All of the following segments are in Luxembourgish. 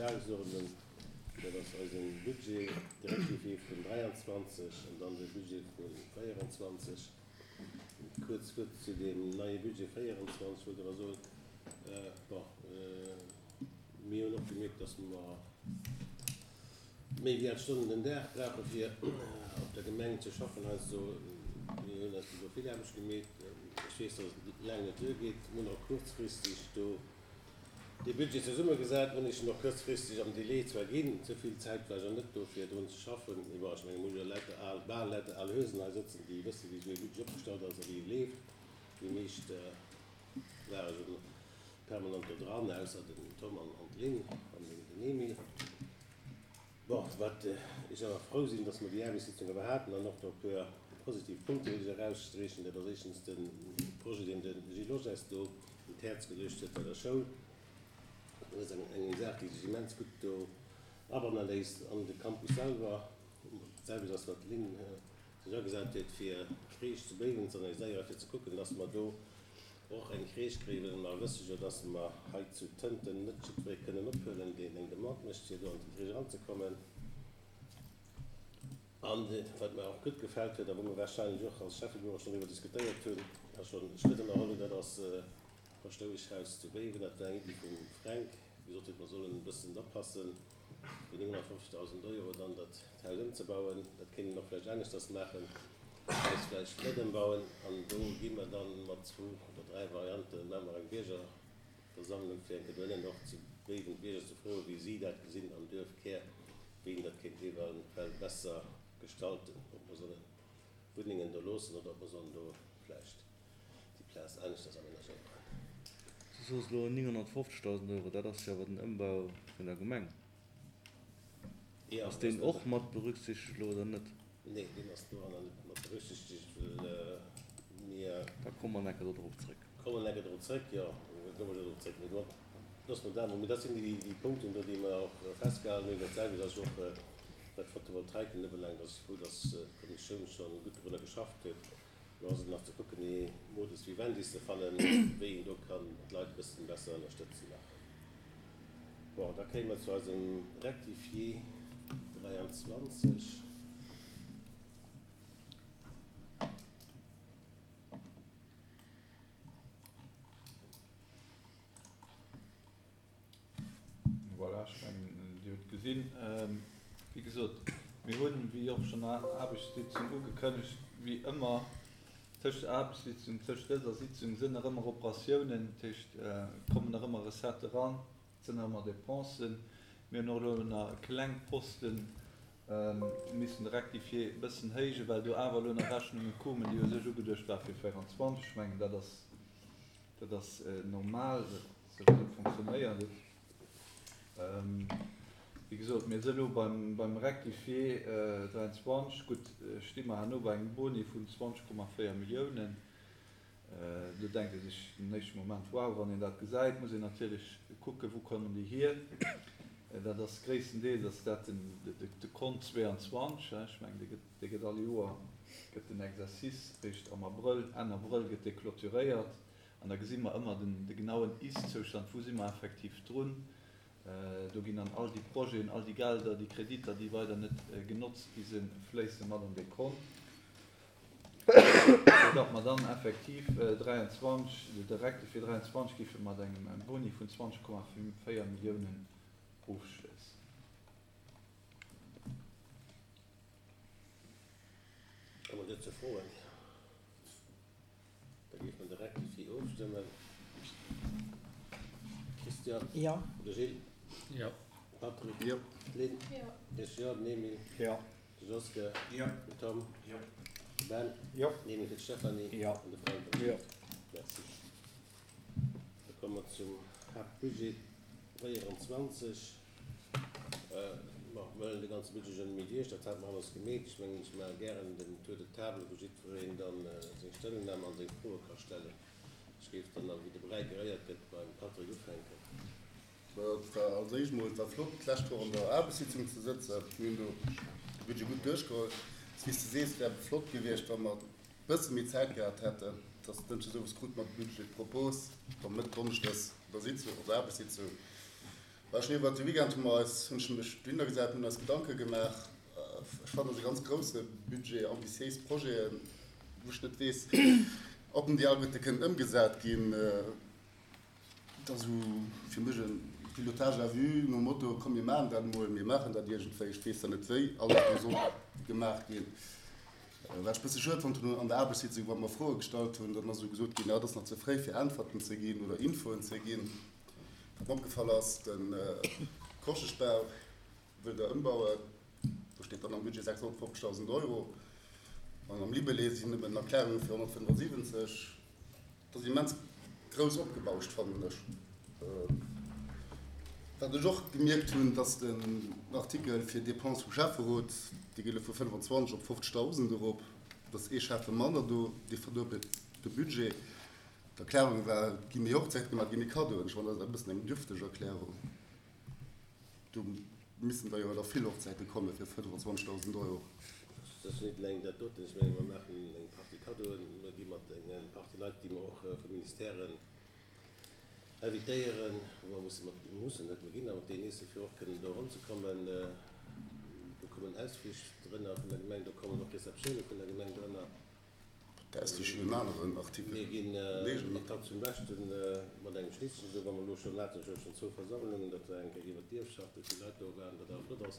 Dagesordnung. Dat ass eise Budget, de Rectifié vun 23 an dann de Budget vu 24. Kuerz Wuert zu deem neie Budget 24 wollt ech awer soen, bon, mir hunn och gemierkt, dass mer méi wéi 8 Stonnen den Dag brauche fir op der Gemeng ze schaffen heiansdo. Mir hunn eis do vill Aarbecht gemeet. Ech weess, dass et laang net duergeet. Mir hunn och kuerzfristeg do dee Budget zesummegesat. Mir hunn Iech en och kuerzfristeg am Delai zwar ginn, ze vill Zäit war jo net do fir drun ze schaffen. Mee bon, ech menge mir hu jo lauter al, bal lauter al Huesen hei sëtzen, déi wësse wéi esou ee Budget opgestallt ass a wéi e leeft. Déi meescht ware jo permanent do dran, ausser den Tom an d'Lynn an den Emile. Bon, wat ech awer frou sinn, dass mer déi Aarbechtssitzung awer haten an och do e puer positiv Punkte wëll ech eraussträchen. Dat ass éischtens de Projet, deen de Gilles Losch eis do un d'Häerz geluecht huet bei der Schoul. Dat ass eng eng Saach, déi sech immens gutt do abanne léisst an de Campus selwer. Dat selwecht ass, wat d'Lynn sech agesat huet, fir d'Crèche zu Béiwen ze organiséieren, fir ze kucken, dass mer do och eng Crèche kréien, well mer wësse jo, dass mer hei zu Tënten net jiddweree kënnen ophuelen, deen eng Demande mécht, fir do an déi Crèche eranzekommen. An wat mer och gutt gefält huet a wou mer warscheinlech och als Schäffebüro schonn driwwer diskutéiert hunn a schonn Schrëtt ënnerholl hunn, dat ass d'Paschtoueschhaus zu Béiwen. Dat war eng Iddi vum Fränk, dee gesot huet, mer sollen e bëssen oppassen, fir 950.000 Euro dann dat Haus ëmzebauen. Dat kéint een och vläicht aneschters maachen, d'Haus vläicht net ëmbauen. An do gi mer dann mat zwou oder dräi Varianten, maache mer eng Biergerversammlung, fir eng Kéier dohinnen och zu Béiwen d'Bierger ze froen, wéi si dat gesinn am Duerfkär, wéi een dat kéint eventuell besser gestalten, ob mer sollen Wunnengen do loossen oder ob mer sollen do vläicht déi Plaz aneschters amenagéieren. Du soos elo 950.000 Euro, dat ass jo awer den Ëmbau vun der Gemeng. Ass deen och mat berücksichtegt elo oder net? Nee, deen ass doranner net mat berücksichtegt, well mir. Da komme mer enker do drop zrëck. Komme mer enker drop zrëck, jo, da komme mer jo drop zrëck. Mee bon, loosse mer dat emol. Mee dat sinn déi Punkten do, déi mer och festgehalen hunn. Dat selwecht ass och, wat d'Photovoltaiken ubelaangt, ass ech frou, dass d'Kommissioun scho gutt dorunner geschafft huet. Lo ass et nach ze kucken, ee Modus vivendi ze fannen, wéi een do kann d'Leit e bëssen besser ënnerstëtzen nach. Bon, da kéime mer zu eisem Rectifié 23. Voilà, ech mengen, Dir hutt gesinn, wéi gesot, mir hunn, wéi och schonn an der Aarbechtssitzung ugekënnegt, wéi ëmmer tëscht der Aarbechtssitzung, tëscht dëser Sitzung sinn nach ëmmer Operatiounen, dat heescht, et kommen nach ëmmer Recettë eran, et sinn nach ëmmer Dépensen. Mir hunn och elo nach e kleng Posten missen de Rectifié e bëssen héijen, well do awer elo nach Rechnunge koumen, déi u sech ugeduecht ware fir 24. Ech mengen, dat ass. Dat ass normal, esou fonctionnéiert et. Wéi gesot, mir si elo beim Rectifié 23. Gutt, sti mer herno bei engem Boni vun 20,4 Milliounen. Do denkt ee sech den éischte Moment, Wow, wann een dat gesäit, muss een natierlech kucken, wou kommen déi hier. Dat ass gréisstendeels ass dat de Kont 22, ech mengen, dee gëtt all Joer gëtt den Exercice réischt am Abrëll, Enn Abrëll gëtt dee clôturéiert an da gesi mer ëmmer den de genauen Ist-Zoustand, wou si mer effektiv drun. Do ginn dann all déi Projeten, all déi Gelder, déi Kreditter, déi weider net genotzt gi sinn, fléisse mat an dee Kont, sou datt mer dann effektiv 23, de Rectifié 23 géife mat engem Boni vun 20,4 Milliounen ofschléissen. Hu mer dozou Froen? Da géife mer de Rectifié ofstëmmen. Christian? Jo. De Gilles? Jo. De Patrick? Jo. D'Lynn? Jo. Ech jo. Den Emile? Jo. De Joske? Jo. Den Tom? Jo. De Ben? Jo. Den Emile fir d'Stéphanie? Jo. An de Frank? Jo. Merci. Da komme mer zum Haaptbudget 24. Bon, mir huelen de ganze Budget jo net méi duerch, dat hate mer alles gemeet. Ech mengen, ech maache gären den Tour de table, wou jiddwereen dann seng Stellungnam an seng Froe ka stellen. Ech géif dann, wéi de Bräi geréiert gëtt, beim Patrick ufänken. Et war als éischt emol, et war flott d'lescht Woch an der Aarbechtssitzung ze sëtzen. Mir hunn do de Budget gutt duerchgeholl. Wéi s de sees, wär flott gewiescht, wa mer e bësse méi Zäit gehat hätten. Et ass dënschdes owes krute mer de Budget-Propos, da mëtt donneschdes an der Sitzung, an der Aarbechtssitzung. Ech hunn iwwert de Weekend hu mer eis, hunn ech mech dohinner gesat, mir hunn eis Gedanke gemaach. Ech fannen, dat ass e ganz grousse Budget, ambitiéis Projeten, wou ech net weess, ob en déi alleguerte kënnen ëmgesat ginn. Et ass esou fir mech e Pilotage à vue nom Motto, komm mir maachen dat emol, mir maachen dat iergendwéi, ech weess dann net wéi alles do soll gemaach ginn. Wat ech e bësse schued fonnt hunn an der Aarbechtssitzung, wa mer Froe gestallt hunn, dann ass esou gesot ginn, ah, et ass nach ze fréi fir Äntwerten ze ginn oder Infoen ze ginn. Wat mer opgefall ass, de Koscheschbau wëllt Der ëmbauen, do steet dann am Budget 650.000 Euro an am Libellé sinn nëmmen Erklärunge fir 175. Dat ass immens grouss opgebauscht, fannen ech. Wat ech och gemierkt hunn, dass den Artikel fir Dépense vum Schäfferot, dee geet elo vu 25 op 50.000 erop, et ass ee Schäffe manner do, dee verduebelt de Budget. D'Erklärung war, et gi méi Hochzäite gemaach, et gi méi Kaddoen. Ech fannen, dat ass e bëssen eng dürfteg Erklärung. Do missten der jo da vill Hochzäite komme fir 25.000 Euro. Dat ass net eleng dat doten. Ech menge mer maachen eng Partie Kaddoen, mer gi mat eng Partie Leit, déi mer och vu Ministèren invitéieren, wou mer musse mat, mussen net, mer ginn da mat deenen eesse fir och kënnen do eranzekommen. Do kommen Ausflich drënner vun der Gemeng, do kommen och Receptioune vun der Gemeng drënner. Dat ass jo en aneren Artikel. Mir ginn den zum Beschten mat engem Schnittchen, esou wa mer elo schonn haten, ech hat schonn zwou Versammlungen, dat war eng Kéier iwwert d'Ierfschaft, wou vill Leit do waren, wat awer flott ass.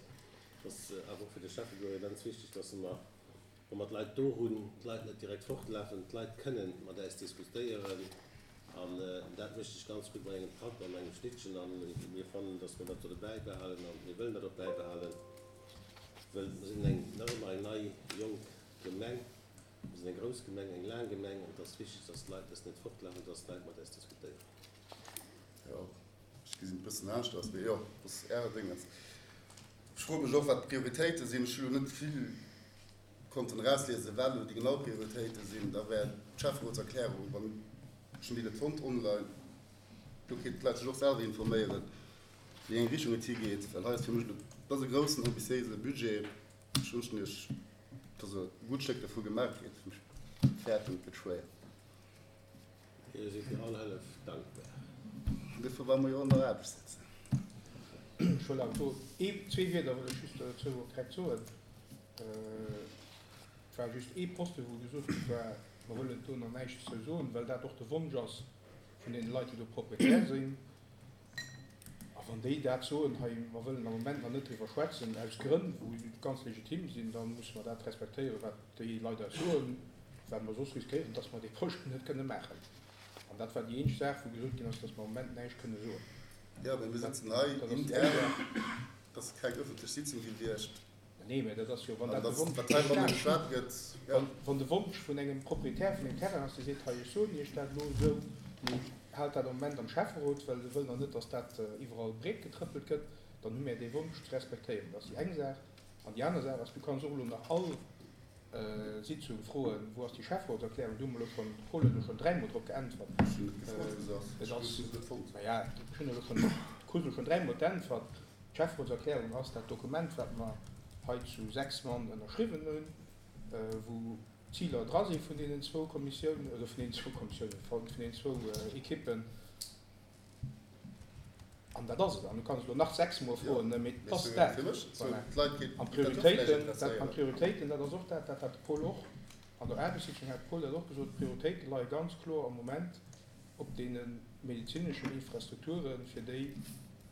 Et ass awer och fir de Schäffebureau immens wichteg, dass mer, wa mer d'Leit do hunn, d'Leit net direkt fortlafen, d'Leit kënnen mat äis diskutéieren an dat mécht sech ganz gutt mat engem Patt an engem Schnittchen an mir fannen, dass mer dat solle bäibehalen an mir wëllen dat och bäibehalen, wëll mer sinn eng, nach ëmmer eng nei, jonk Gemeng. Mir sinn eng grouss Gemeng, eng laang Gemeng, an et ass wichteg, dass d'Leit eis net fortlafen, dass d'Leit mat eis diskutéieren. Jo, ech gesinn et e bëssen aneschters, mee jo, dat ass Äre Déngens. Ech froe mech och, wat d'Prioritéite sinn. Ech hu lo net vill konnten erausliesen, wat elo déi genau Prioritéite sinn. Da wär d'Schäfferotserklärung, wann ech hunn déi net fonnt online, do kéinten d'Leit sech och selwer informéieren, wéi eng Richtung et higeet. Well hei ass fir mech elo, dat ass e groussen, ambitiéise Budget. Ech wënschen Iech, dass e gutt Stéck dervu gemaach kritt. Ech fäerten, et gëtt schwéier. Mir si fir all Hëllef dankbar. Dofir well mer jo an der Aarbecht sëtzen. Ech wëll awer do ee, zwee Wierder wëll ech just dozou och direkt soen. Et war just ee Posten, wou gesot gi war, mer wëllen do nach näischt zou soen, well dat och de Wonsch ass vun deene Leit, déi do Proprietär sinn. A wann déi dat soen, hei, mer wëllen am Moment nach net driwwer schwätzen, aus Grënn, wou ganz legitim sinn, da musse mer dat respektéieren, wat déi Leit eis soen, well mer soss riskéieren, dass mer dee Projet net kënne maachen. An dat war déi eenzeg Saach, wou gesot ginn ass, dass mer am Moment näischt kënne soen. Jo, mä mir sëtzen hei intern, et ass keng ëffentlech Sitzung gewiescht. Nee, mä dat ass jo, wann dat de Wonsch vum Wann de Wonsch vun engem Proprietär vun engem Terrain ass, dee seet, hei ech soen Iech dat elo esou, mee haalt dat am Moment am Schäfferot, well e wëll nach net, datt dat iwwerall breet getrëppelt gëtt, dann hu mär dee Wonsch ze respektéieren. Dat ass déi eng Saach. An déi aner Saach ass, du kanns och elo nach all Sitzung froen, wou ass déi Schäfferotserklärung? Do hu mer elo schonn, de Paul huet elo schonn dräimol drop geäntwert. Ech hunn net gefrot, wou se ass. Ech hunn se net fonnt. Maja, ech hunn elo schonn, du krus elo schonn dräimol d'Äntwert. D'Schäfferotserklärung ass dat Dokument, wat mer hei zu 6 Mann ënnerschriwwen hunn, wou d'Ziler dra si vun deenen zwou Kommissiounen, oder vun deenen zwou Kommissiounen, vun deenen zwou Ekippen. An dat ass et. An du kanns elo nach sechsmol froen, mee et ass dat. Voilà. An d'Prioritéiten, dat, an d'Prioritéiten, dat ass och dat, dat hat de Paul och an der Aarbechtssitzung hat de Paul dat och gesot, d'Prioritéite leie ganz kloer am Moment op deene medezineschen Infrastrukturen, fir déi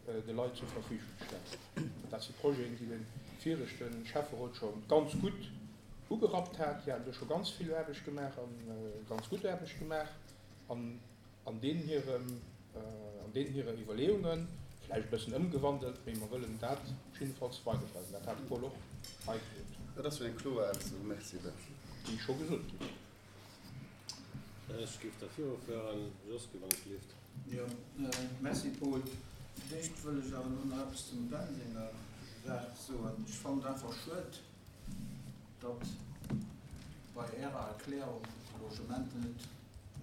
de Leit zur Verfügung ze stellen. Dat si Projeten, déi de viregte Schäfferot scho ganz gutt ugerappt hat. Déi haten do scho ganz vill Aarbecht gemaach a ganz gutt Aarbecht gemaach an an deenen hirem, an deenen hire Iwwerleeungen, vläicht e bëssen ëmgewandelt, mee mer wëllen dat jiddefalls weiderbleiwen. Dat hat de Paul och hei gesot. Dat ass jo eng kloer Ausso. Merci, Ben. Déi scho gesot ginn ass. Ech géif da virufueren, Josky, wann et leeft. Jo, merci Paul. Fir d'éischt wëll ech awer elo nach eppes zum Ben senger Saach soen. Ech fannen et einfach schued, datt bei Ärer Erklärung de Logement net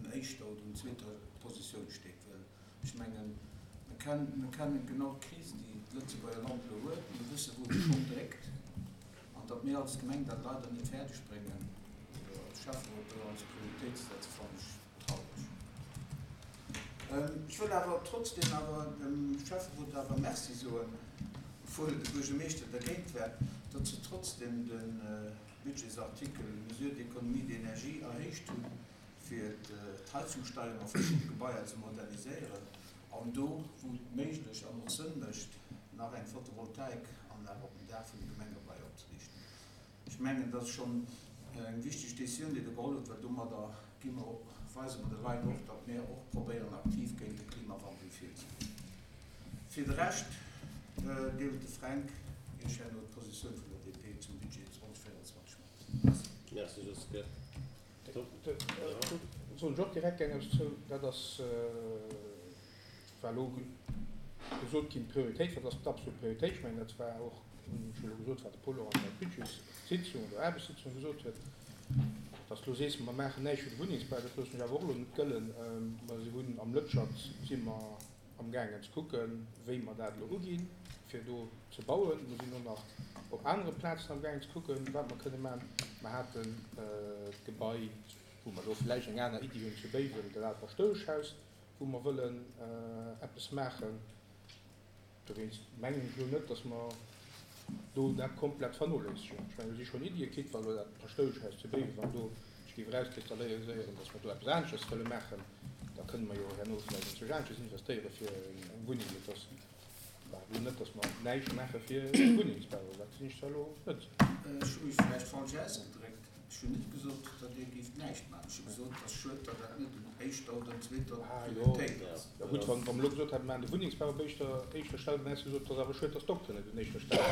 un éischter oder un zweeter Positioun steet, well ech mengen, mir kennen genau d'Kris, déi d'Lëtzebuerger Land elo huet, mir wësse wou de Schong dréckt. An datt mir als Gemeng dat leider net fäerdeg bréngen, oder als Schäfferot do als Prioritéit ze setzen, fannen ech traureg. Ech wëll awer trotzdem awer dem Schäfferot awer Merci soen, obwuel de Buergermeeschter dergéint war, datt se trotzdem de Budgetsartikel Mesures d'économie d'énergie erhéicht hunn, fir d'Heizungssteierung a verschidde Gebaier ze moderniséieren an do, wou et méiglech an och Sënn mécht, nach eng Photovoltaikanlag op dem Daach vun de Gemengebaier opzeriichten. Ech mengen, dat ass schonn eng wichteg Décisioun, déi Der geholl hutt, well domadder gi mer och, weise mer de Leit och, datt mir och probéieren, aktiv géint de Klimawandel virzegoen. Fir de Rescht deelt de Fränk Iech herno d'Positioun vun der DP zum Budget 2024 mat. Merci. Merci, Josquin. Soen ech och direkt eng eppes zou, dat ass, war elo gesot ginn, d'Prioritéit, wat ass d'absolut Prioritéit? Ech mengen, dat war och, hunn ech elo gesot, wat de Paul och an der Budgetssitzung oder Aarbechtssitzung gesot huet, dass de elo sees, mer maachen näischt fir de Wunnengsbau, dat loossen ech awer och elo net gëllen. Mer si hunn am Lëtschert si mer amgaangen ze kucken, wéi mer dat elo uginn, fir do ze bauen. Mer sinn och nach op anere Plazen amgaangen ze kucken, wat mer kënne maachen. Mer haten d'Gebai, wou mer elo vläicht eng aner Iddi hunn, zu Béiwen, dat aalt Paschtoueschhaus, wou mer wëllen eppes maachen. Dowéinst mengen ech elo net, dass mer do dat komplett vernoléissegen. Ech mengen, do si schonn Iddie kritt, wa elo dat Paschtoueschhaus zu Béiwen, wann do sech géif erauskristalliséieren, dass mer do eppes aneschters wëlle maachen, da kënne mer jo herno vläicht enzwousch aneschters investéiere fir eng Wunneng. Mee et ass elo net, dass mer näischt maache fir de Wunnengsbau. Dat gesinn ech zwar elo net. Ech hu mech vläicht falsch ausgedréckt. Ech hunn net gesot, datt Dir géift näischt maachen. Ech hu gesot, et ass schued, datt dat net un éischter oder un zweeter Prioritéit ass. Jo gutt, wa mer elo gesot hätten, mir maachen de Wunnengsbau op éischter, éischter Stell, dann häss de gesot, et ass awer schued, datt d'Dokteren net un éischter Stell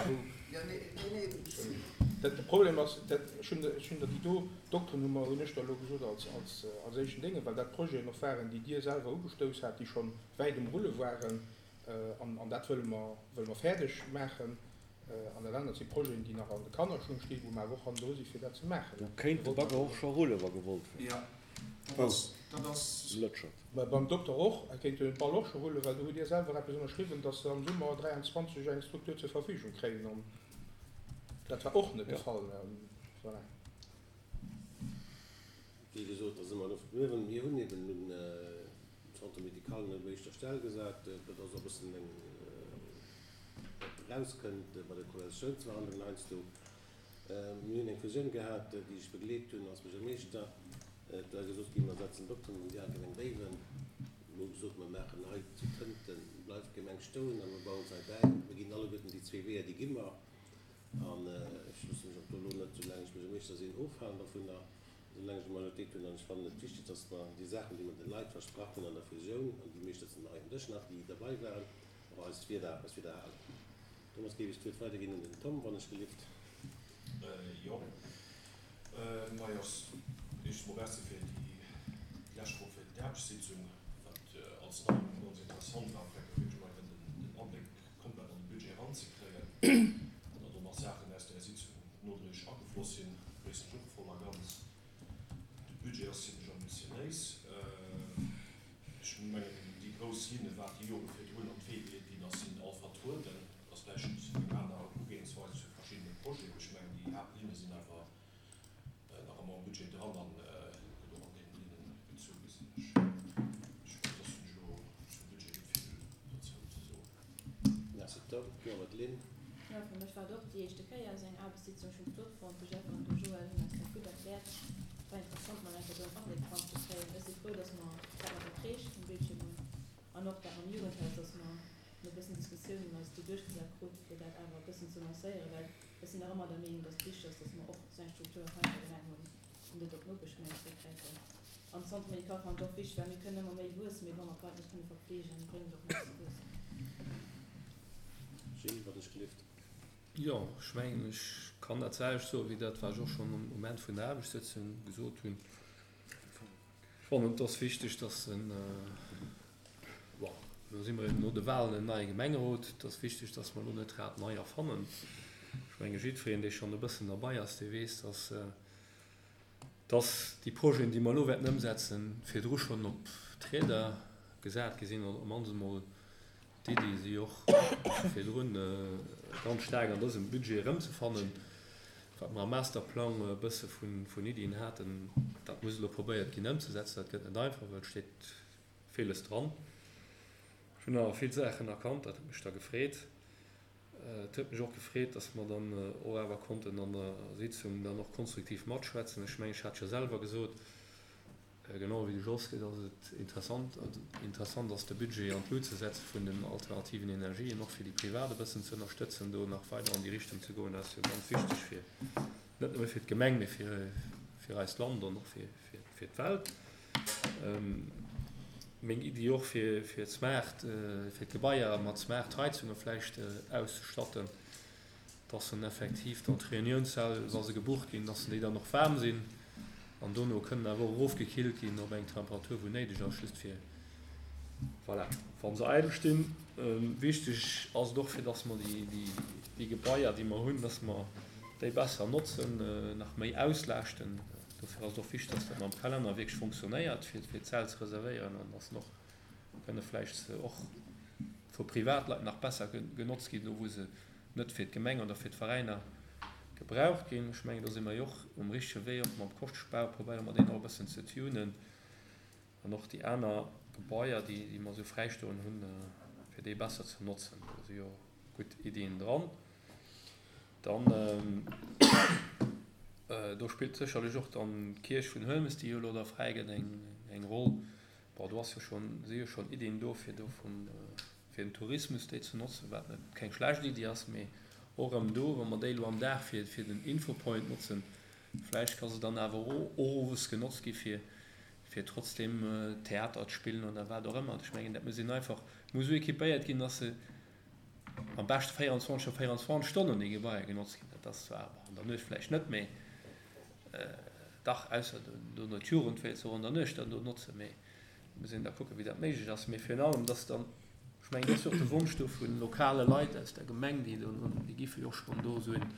sinn. Jo, nee, nee, nee. Dat, de Problem ass, dat, ech hunn, ech hunn der déi do Dokteren hu mer, hunn ech der elo gesot als, als, als éischten Dénge, well dat Projeten och waren, déi Dir selwer ugestouss hat, déi schonn wäit um Rulle waren, an, an dat wëlle mer, wëlle mer fäerdeg maachen. An dat anert si Projeten, déi nach an de Kannerschung stinn, wou mer awer och hannendru si fir dat ze maachen. Do kéint de Bagger och scho rullen, wa gewollt wär. Jo, dat ass, dat ass. Lëtschert. Mä beim Dokter och, e kéint de Ball och scho rullen, well do hutt Dir selwer eppes ënnerschriwwen, datt se am Summer 23 eng Struktur zur Verfügung kréien. An dat war och net de Fall. Voilà. Wéi gesot, da si mer elo verbliwwen. Mir hunn eben den Centre médical net op éischter Stell gesat. Dat ass och e bëssen eng, wat erauskënnt bei de Koalitiounsverhandlungen heiansdo. Mir hunn eng Fusioun gehat, déi ech begleet hunn als Buergermeeschter. Et war gesot ginn, mer setzen Dokteren an déi al Gemeng Béiwen. Mir hu gesot, mer maachen hei zu Tënten, bleift d'Gemeng stoen a mer bauen se hei bäi. Mir ginn alleguerten déi zwee Weeër, déi gi mer. An ech loosse mech och do elo net, soulaang ech Buergermeeschter sinn, ofhalen dovunner, soulaang ech eng Majoritéit hunn. An ech fannen et wichteg, dass mer déi Saachen, déi mer de Leit versprach hunn an der Fusioun, an déi meescht sëtzen hei um Dësch nach, déi derbei waren, och eist Wieder, eis Wieder halen. Domat géif ech d'Wuert weiderginn un den Tom, wann ech gelift. Jo, majo, éischtens mol Merci fir déi lescht Woch fir d'Aarbechtssitzung, wat als Neierung ganz interessant war, fir wierklech mol eng Kéier den Abléck komplett an de Budget eranzekréien an datt och nach Saachen aus där Sitzung nodréiglech agefloss sinn, begréissen ech och voll a ganz. De Budget ass zimlech ambitiénéis. Ech mengen, déi grouss Linne wat déi Jore virdrun an d'Wee geleet ginn ass, sinn all vertrueden. Et ass vläicht eng aner Ugeeënsweis zu verschiddene Projeten, mee ech mengen, déi Haaptlinne sinn awer nach ëmmer am Budget dran an gëtt och an deenen Linnen gezu, gesinn ech. Ech mengen, soss hunn ech elo zum Budget net vill dozou ze soen. Merci Tom. Jo, Madeleine? Jo, fir mech war et och déi éischte Kéier esou eng Aarbechtssitzung. Ech hunn et flott fonnt. De Jeff an de Joël hunn eis dat gutt erkläert. Et war interessant, mol eng Kéier do en Abléck dran ze kréien. Ech si frou, dass mer dat mat der Crèche um Bildschierm hunn an och dat mam Jugendhaus, dass mer no e bëssen Diskussiounen eis do duerchgesat krute fir dat awer e bëssen ze lancéieren, well ech sinn nach ëmmer der Meenung, dass et wichteg ass, dass mer och esou eng Struktur hei an der Gemeng hunn an net op d'Nopeschgemeng zréckgräifen. An de Centre médical fannen ech och wichteg, well mir kënnen ëmmer méi wuessen, mee wa mer d'Leit net kënne verpfleegen, bréngt et och näischt ze wuessen. Gilles, wat ech gelift. Jo, ech mengen, ech kann dat selwecht soen, wéi dat, wat ech och schonn um Moment vun der Aarbechtssëtzung gesot hunn. Ech fannen, et ass wichteg, dass en, bon, elo si mer eben no de Wahlen en neie Gemengerot, et ass wichteg, dass mer elo net d'Rad nei erfannen. Ech menge jiddwereen, dee schonn e bëssen derbei ass, dee weess, dass, dass déi Projeten, déi mer elo wäerten ëmsetzen, virdru schonn op d'Rieder gesat gi sinn, oder op d'mannst emol D'Iddi si och virdrun ganz staark an dësem Budget erëmzefannen. Wat mer am Masterplang e bësse vun Iddien haten, dat muss elo probéiert ginn ëmzesetzen. Dat gëtt net einfach, well et steet Villes dran. Ech hunn awer vill Saachen erkannt, dat huet mech da gefreet. Et huet mech och gefreet, dass mer dann och awer konnten an der Sitzung dann och konstruktiv matschwätzen. Ech mengen, ech hat jo selwer gesot, genau wéi de Jos, dass et interessant, interessant ass, de Budget an d'Lut ze setze vun den alternativen Energien, och fir déi Privat e bëssen ze ënnerstëtzen, do nach weider an déi Richtung ze goen. Dat ass jo ganz wichteg fir, net nëmme fir d'Gemeng, mee fir, fir eist Land an och fir, fir, fir d'Welt. Meng Iddi och fir d'Smart, fir d'Gebaier mat Smart Heizunge vläicht auszestatten, dass en effektiv dann d'Reuniounssäll, wa se gebucht ginn, dass déi dann och waarm sinn an dono kënnen awer och erofgekillt ginn op eng Temperatur wou néideg ass, just fir, voilà, wa se eidel stinn. Wichteg ass et och fir dass mer déi Gebaier déi mer hunn, dass mer déi besser notzen, nach méi auslaaschten. Dofir ass et och wichteg, dass dat mam Kalenner wierklech fonctionnéiert, fir d'Säll ze reservéieren an dass en och kënne vläicht och vu Privatleit nach besser genotzt ginn, do wou se net fir d'Gemeng oder fir d'Veräiner gebraucht ginn. Ech mengen, do si mer jo och um richtege Wee, och mam Koschtbau probéiere mer deen och e bëssen ze tunen an och déi aner Gebaier, déi mer esou fräistoen hunn, fir déi besser ze notzen. Do si jo gutt Iddien dran. Dann, do spillt sécherlech och dann d'Kierch vun Huelmes, déi jo elo da fräi gëtt, eng Roll. Bon, do ass jo schonn, si jo schonn Iddien do, fir do vum, fir den Tourismus déi ze notzen, wat net keng schlecht Iddi ass. Mee och erëm do, wa mer déi elo am Dag fir, fir den Infopoint notzen, vläicht ka se dann awer och owes genotzt gi fir, fir trotzdem Theater ze spillen oder wat och ëmmer. Ech mengen, dat muss een einfach, muss esou équipéiert ginn, dass se am beschte 24 op 24 Stonnen déi Gebaier genotzt ginn. Dat ass zwar an der Nuecht vläicht net méi, dach, ausser dono d'Jugend wéilt se och an der Nuecht dann do notzen, mee muss een da kucken, wéi dat méiglech ass. Mee virun allem, dass dann, ech mengen, dat ass jo och de Wonsch do vu lokale Leit aus der Gemeng, déi do, déi giffe jo och schonn do esou en,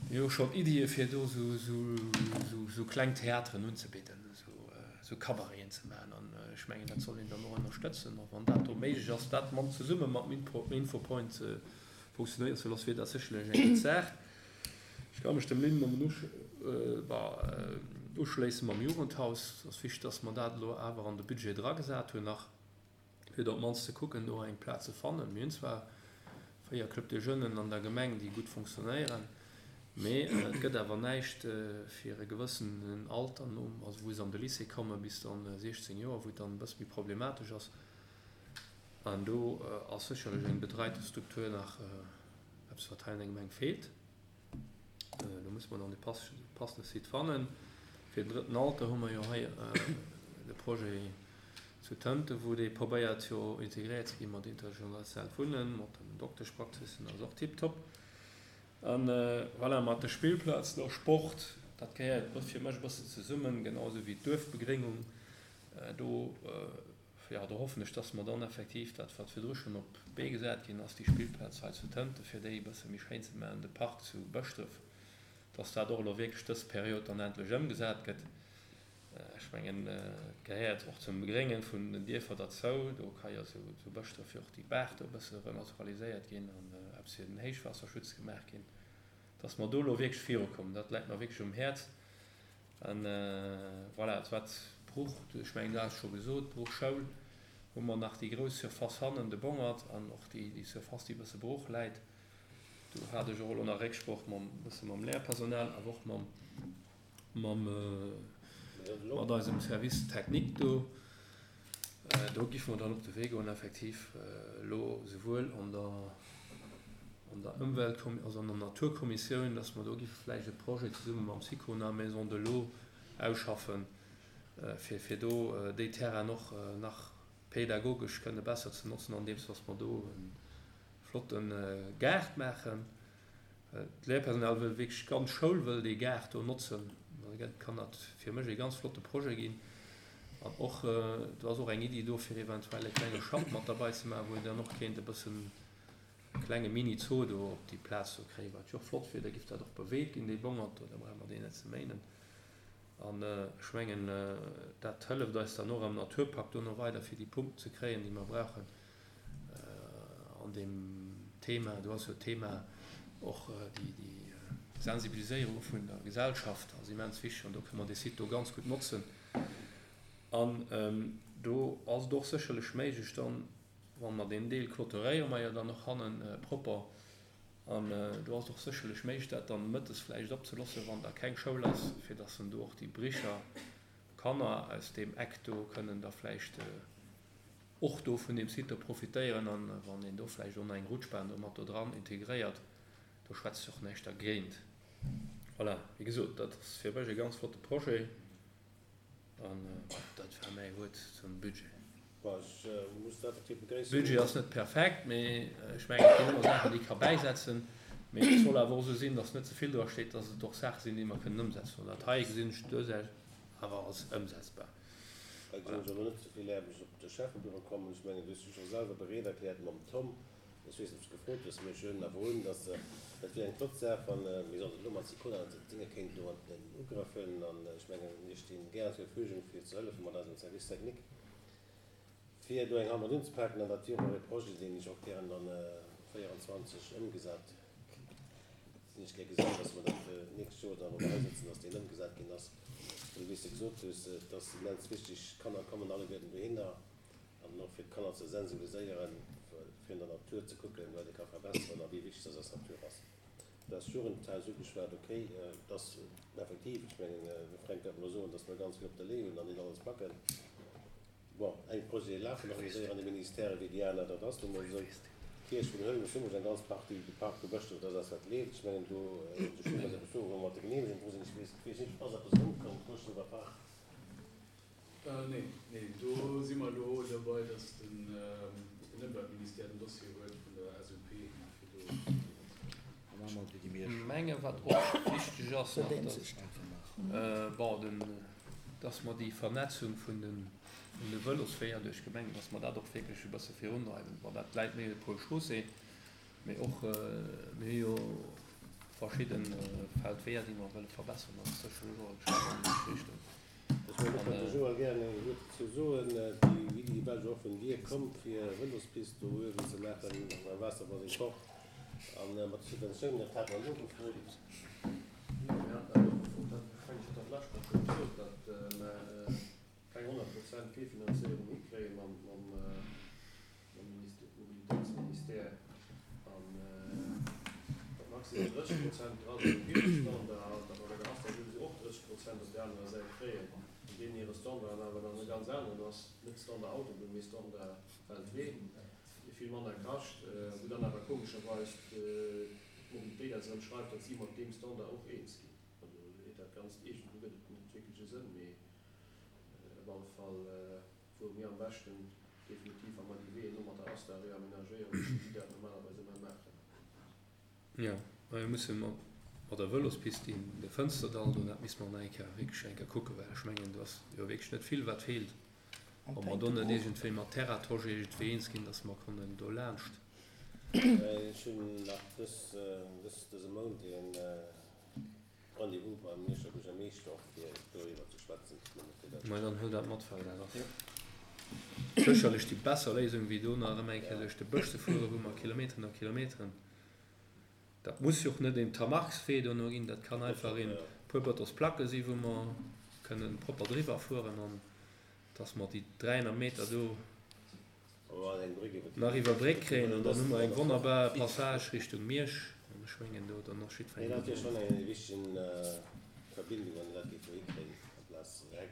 déi hu jo schonn Iddie fir do esou kleng Theateren unzebidden. Esou Cabareten ze maachen. An ech mengen, dat soll een dann och ënnerstëtzen. A wann dat do méiglech ass, dat mat zesumme mam Infopoint funktionéieren ze loossen, wier dat sécherlech eng gutt Saach. Ech ka mech dem Lynn nëmmen uschléissen mam Jugendhaus. Et ass wichteg, dass mer dat elo awer an de Budget dragesat hunn nach. fir do op d'mannst ze kucken, do eng Plaz ze fannen. Mir hunn zwar 4 Clubs de Jeunes an der Gemeng, déi gutt fonctionnéieren, mee et gëtt awer näischt fir e gewëssenen Alter, nom, also wou se an de Lycée kommen, bis dann 16 Joer, wou et dann e bësse méi problematesch ass. An do ass sécherlech eng bedreite Struktur nach eppes, wat hei an der Gemeng feelt. Do musse mer dann de passende Site fannen. Fir den drëtten Alter hu mer jo hei de Projet zu Tënten, wou dee probéiert jo integréiert ze gi mat intergenerationellt Wunnen, mat den Dokteschpraxissen, ass och tiptop. A voilà, mat de Spillplazen a Sport, dat gehéiert fir mech e bëssen zesummen, genau esou wéi d'Duerfbegréngung. Do Jo, do hoffen ech, dass mer dann effektiv dat, wat virdru schonn op d'Bee gesat ginn ass, déi Spillplaz hei zu Tënten, fir déi e bësse méi schéin ze maachen, de Park zu Bëschdref, dass dat och elo wierklech dës Period dann endlech ëmgesat gëtt. Ech mengen, et gehéiert och zum Begrénge vun den Dierfer derzou. Do ka jo zu Bëschdref jo och déi Baach do e bësse renaturaliséiert ginn an eppes fir den Héichwaasserschutz gemaach ginn. Dass mer do elo wierklech virukommen, dat läit mer wierklech um Häerz. An voilà, wat d'Bruch, ech mengen, dat ass scho gesot, d'Bruchschoul, hu mer nach déi grouss Surface hannen, de Bongert, an och déi Surface, déi e bësse brooch läit. Do hat ech och elo nach Récksproch mam, e bësse mam Léierpersonal, awer och mam, mam, mat eisem Service technique do. Do giffe mer dann op de Wee goen, effektiv elo souwuel an der, an der Ëmweltkommi-, also an der Naturkommissioun, dass mer do giffe vläicht e Projet zesumme mam Sicona Maison de l'Eau ausschaffen, fir, fir do déi Terrainen och nach pädagogesch kënne besser ze notzen, andeems dass mer do e flotte Gaart maachen. D'Léierpersonal wëll wierklech, d'ganz Schoul wëll dee Gaart do notzen. Da kann dat fir mech ee ganz flotte Projet ginn. An och, do ass och eng Iddi do, fir eventuell e klenge Schapp mat derbei ze maachen, wou een dann och kéint e bëssen e klenge Mini-Zoo do op déi Plaz do kréien, wat jo och flott wier. Da giff dat och beweegt ginn, dee Bongert do, da brauche mer deen net ze méinen. An ech mengen, dat hëlleft eis dann och am Naturpakt dono weider, fir déi Punkten ze kréien, déi mer brauchen. An deem Thema, do ass jo d'Thema och déi Sensibiliséierung vun der Gesellschaft ass immens wichteg an do kënne mer dee Site do ganz gutt notzen. An. Do ass et och sécherlech méiglech dann, wa mer deen Deel clôturéiere mer jo dann och hannen propper, an do ass et och sécherlech méiglech dat dann mëttes vläicht opzelossen, wann da keng Schoul ass, fir dass dann do och déi Bricher Kanner aus deem Eck do kënnen da vläicht och do vun deem Site do profitéieren. An wann een do vläicht och nach eng Rutschbahn do mat do dran integréiert, do schwätzt jo och näischt dergéint. Voilà, wéi gesot, dat ass fir mech e ganz flotte Projet. An dat war mäi Wuert zum Budget. Budget ass net perfekt, mee ech mengen, et ginn ëmmer Saachen, déi ee ka bäisetzen. Mee et soll awer och esou sinn, datt net ze vill dra steet, datt et och Saache sinn, déi mer kënnen ëmsetzen. An dat hei gesinn ech duerchaus awer als ëmsetzbar. Hei gesinn ech awer net ze vill Aarbecht op de Schäffebüro kommen. Ech mengen, du hues dech scho selwer bereet erkläert mam Tom. Ech weess net, ob s de gefrot hues, mee ech huelen awer un, dass dat wier eng flott Saach, wann, mir sollten elo mat Sicona d'Dinge kéinten do an den Ugrëff huelen. An ech mengen, mir sti gären zur Verfügung, fir ze hëllefen mat eisem Service technique, fir do eng Hand mat unzepaken. An dat wier och e Projet, deen ech och gären dann 24 ëmgesat, deen ech gär gesinn, dass mer dat d'nächst Joer dann, wa mer hei sëtzen, dass deen ëmgesat ginn ass. Well, wéi s de gesot hues, et ass immens wichteg, d'Kanner kommen alleguerten dohinner. An och fir d'Kanner ze sensibiliséieren, fir an der Natur ze kucken, wat ee ka verbesseren a wéi wichteg dass eis Natur ass. Du has d'Jugendhaus ugeschwat, okay, et ass effektiv, ech mengen, de Fränk wäert mer elo soen, dass mer ganz vill op der Lee hunn an net alles packen. Bon, eng Projete lafen och méi séier an de Ministèren wéi déi aner, dat ass nu mol esou. D'Kierch vun Hëlwen, ech hu mech eng ganz Partie de Parc do Bëschdref, dat ass eppes wat leeft. Ech mengen, do, do sti mer eppes do, wou mer mat der Geneemegung dru sinn. Ech weess, ech weess net, ass eppes erëmkomm, Bëschdrefer Park? Nee, nee, do si mer elo derbei, datt den Ëmweltministère den Dossier huet vun der SUP, fir do Ech menge wat och wichteg ass nach, datt, bon, den, datt mer déi Vernetzung vun de, vun de Vëlosweeër duerch d'Gemeng, datt mer dat och wierklech e bësse virundreiwen. Bon, dat läit méi op Pôle Chaussée, mee och, mir hu jo verschidde Feldweeër, déi mer wëlle verbesseren. Dat ass sécherlech och e Schratt an déi richteg Richtung. Ech wëll och de Joël gären eng Wuert dozou soen. Déi Iddi war jo och vun dir komm, fir e Vëlospist do uewen ze maachen beim Waasserbaseng Kor. A mat de Subventiounen, dat hate mer nogefrot. Jo, mir haten dat nogefrot. Dat, ech mengen, ech hat dat d'lescht Woch scho gesot, datt mer keng 100 Prozent Virfinanzéierung hikréie mam mam Mobilitéitsministère an datt maximal 30 Prozent dra sinn um hire Standard an datt mer bei der ASTA souwisou och 30 Prozent op där anerer Säit kréien, an deenen hire Standard awer dann e ganz aneren ass, net Standard Autobunn, mee Standard Feldwee, dee vill manner kascht, wou dann awer komescherweis d'Mobilitéit eis erëm schreift, datt si mat deem Standard och eens ginn. Also huet dat Ganzt iergendwou gëtt et net wierklech e Sënn, mee op alle Fall. Fuere mir am beschten definitiv, wa mer déi Weeën no mat der Asta reamenagéieren, wéi si dat normalerweis ëmmer maachen. Jo, mä mir musse mat der Vëlospist déi de Fënsterdall do, dat misste mer nach eng Kéier wierklech eng Kéier kucken, well ech mengen, do ass jo wierklech net vill wat feelt. Ob mer do net iergendwéi mat Terratoge iergendwéi eens ginn, datt mer kënnen do laanscht. Ech hunn nach dëse Mount een Rendez-vous beim Mierscher Buergermeeschter och fir doriwwer ze schwätzen. Mä dann huel dat mat, well dat ass sécherlech déi besser Léisung wéi do nach erëm eng Kéier duerch de Bësch ze fueren, wou mer Kilometeren a Kilometeren, dat muss jo och net een Tamarkswee dono ginn, dat kann einfach een puer Bëtonsplacke si wou mer kënnen propper driwwer fueren an dass mer déi 300 Meter do nach iwwer Bréck kréien an dann hu mer eng wonnerbar Passage Richtung Miersch an ech mengen do dann ass jiddwerengem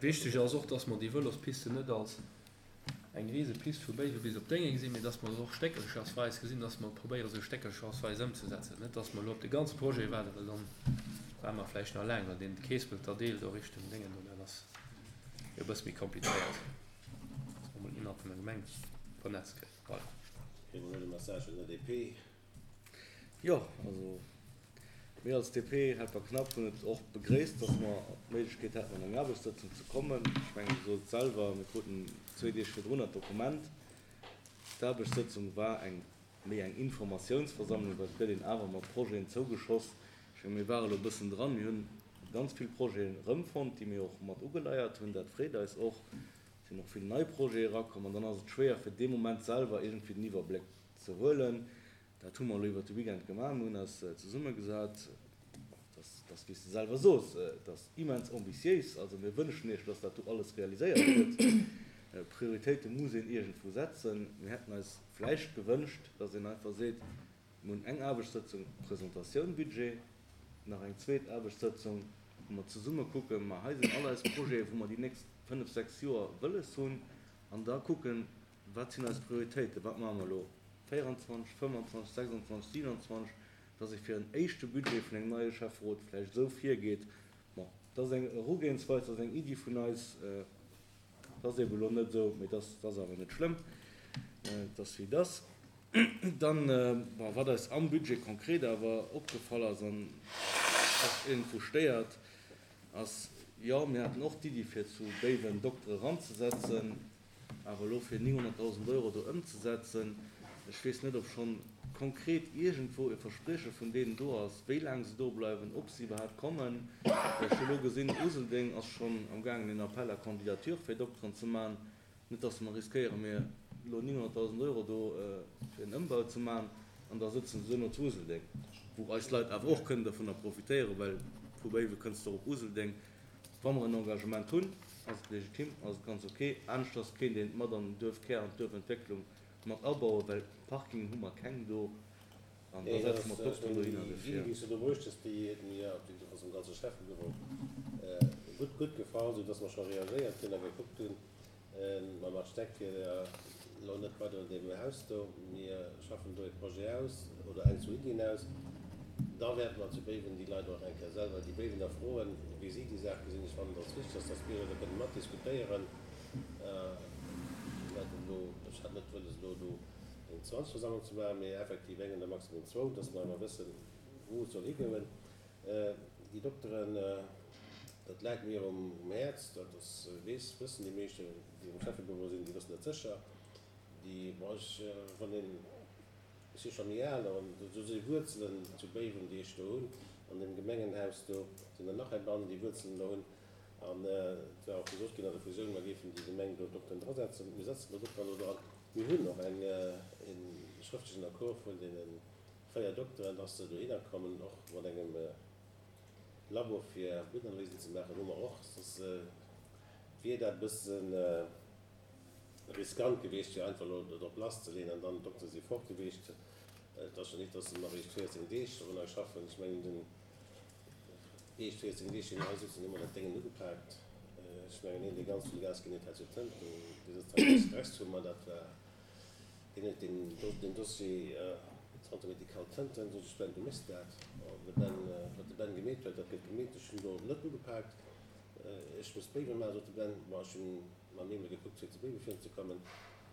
Wichteg ass och, dass mer déi Vëlospiste net als eng rise Pist vu Béiwe bis op Déngeng gesinn, mee dass mer se och stéckelchersweis gesinn, dass mer probéiere se stéckelchersweis ëmzesetzen. Net dass mer elo op de ganze Projet waarden, well dann waarde mer vläicht nach laang, well deen Keespelter Deel do Richtung Déngen do, dat ass jo e bësse méi komplizéiert. Dass mer mol innerhalb vun der Gemeng vernetzt kréien. Voilà. Kréie mer elo de Message vun der DP? Jo, also mir als DP, Helper Knapp, hunn et och begréisst, dass mer d'Méiglechkeet haten, an eng Aarbechtssëtzung ze kommen. Ech mengen, Dir sot et selwer, mir kruten zwee Deeg virdrunner d'Dokument. D'Aarbechtssëtzung war eng méi eng Informatiounsversammlung, well et gëtt een awer mat Projeten zougeschoss. Ech mengen, mir ware elo e bëssen dran, mir hunn ganz vill Projeten erëmfonnt, déi mir och mat ugeleiert hunn. Dat freet eis och. Et sinn och vill nei Projete erakomm an dann ass et schwéier, fir dee Moment selwer iergendwéi den Iwwerbléck ze huelen. Dat hu mer elo iwwert de Weekend gemaach. Mir hunn eis zesummegesat. Dat ass, wéi s de selwer sos, dat ass immens ambitiéis. Also mir wënschen Iech, dass dat do alles realiséiert gëtt. Prioritéite muss een iergendwou setzen. Mir hätten eis vläicht gewënscht, dass een einfach seet, mir hunn eng Aarbechtssëtzung Presentatioun Budget, nach eng zweet Aarbechtssëtzung, wou mer zesumme kucken, ma hei sinn all eis Projete wou mer déi nächst fënnf, sechs Joer wëlles hunn, an da kucken, wat sinn eis Prioritéiten, wat maache mer elo 24, 25, 26, 27, dass ee fir en éischte Budget vun engem neie Schäfferot vläicht esou virgeet. Bon, dat ass eng Erugehensweis, dat ass eng Iddi vun eis. Dat ass eeben elo net esou, mee dat ass awer net schlëmm, dat ass wéi et ass. Dann, bon, wat eis am Budget konkret awer opgefall ass an och iergendwou stéiert, ass, jo, mir haten och d'Iddi fir zu Béiwen Doktere eranzesetzen, Awer elo fir 900.000 Euro do ëmzesetzen, ech weess net, ob schonn konkret iergendwou e Versprieche vun deenen do ass, wéi laang se do bleiwen, ob se iwwerhaapt kommen. Well ech hu elo gesinn, Useldeng ass schonn amgaangen een Appel à candidature fir Dokteren ze maachen. Net datt mer riskéieren, mir elo 900.000 Euro do fir en Ëmbau ze maachen an da sëtzen se duerno zu Useldeng, wou eis Leit awer och kënnen dovunner profitéieren, well vu Béiwe kënns de och op Useldeng. Wa mer en Engagement hunn, ass et legitim, ass et ganz ok. Aneschters kéint een et mat an den Duerfkär, an d'Duerfentwécklung mat abauen, well Parkingen hu mer keng do an da setze mer d'Dokteren dohinner. Déi Iddi, déi s du do bruecht hues, déi huet mir, déi ass dem ganze Schäffebüro gutt, gutt gefall, soudass mer scho reagéiert hunn a gekuckt hunn, Mam Architekt wier elo net weider un deem Haus do. Mir schaffen do e Projet aus oder eng zwou Iddien aus. Da wäerte mer zu Béiwen déi Leit och eng Kéier selwer, déi Béiwener froen, wéi si déi Saach gesinn. Ech fannen, et ass wichteg, dass d'Bierger do kënnen matdiskutéieren. Mir haten elo, ech hat net wëlles elo do eng Zwangsversammlung ze maachen, mee effektiv eng oder maximum zwou, dass mer awer wëssen, wou et soll higoen. Déi Dokteren, dat läit mir um Häerz, dat ass, weess, wëssen déi meeschten, déi am Schäffebüro sinn, déi wëssen dat sécher. Déi, bon, ech, wann een, ech si scho méi al, an do si Wuerzelen zu Béiwen, déi ech do hunn, an deem Gemengenhaus do sinn der nach eng Bann, déi Wuerzelen do hunn. An et war och gesot ginn an der Fusioun, mer géifen déi Gemeng do Dokteren drasetzen. Mir setzen do Dokteren do dran. Mir hunn och eng, e schrëftlechen Accord vun deene 4 Dokteren, dass se dohinner kommen, och mat engem Labo fir Bluttanalysen ze maachen, hu mer och, soss wier dat e bësse riskant gewiescht, fir einfach elo drop lasszeleeën an dann d'Doktere si fort gewiescht. Et ass jo nit, dass se nach eréischt 14 Deeg dorunner schaffen. Ech mengen, den éischt 14 Deeg, déi mir hei sitzen, hu mer dat Déngen ugepaakt. Ech mengen, een, dee ganz vill Gas ginn huet, hat jo Tënten, dee sëtzt hei rechts vu mer, dat war Deen huet deen Dossier Centre médical Tënten, sot ech, Ben, du méchs dat. An de Ben, wat de Ben gemeet huet, dat gëtt gemeet. Ech hunn do net ugepaakt. Ech muss Béiwe maachen, sot de Ben. Bon, ech hunn mam Emil gekuckt, fir zu Béiwe virunzekommen.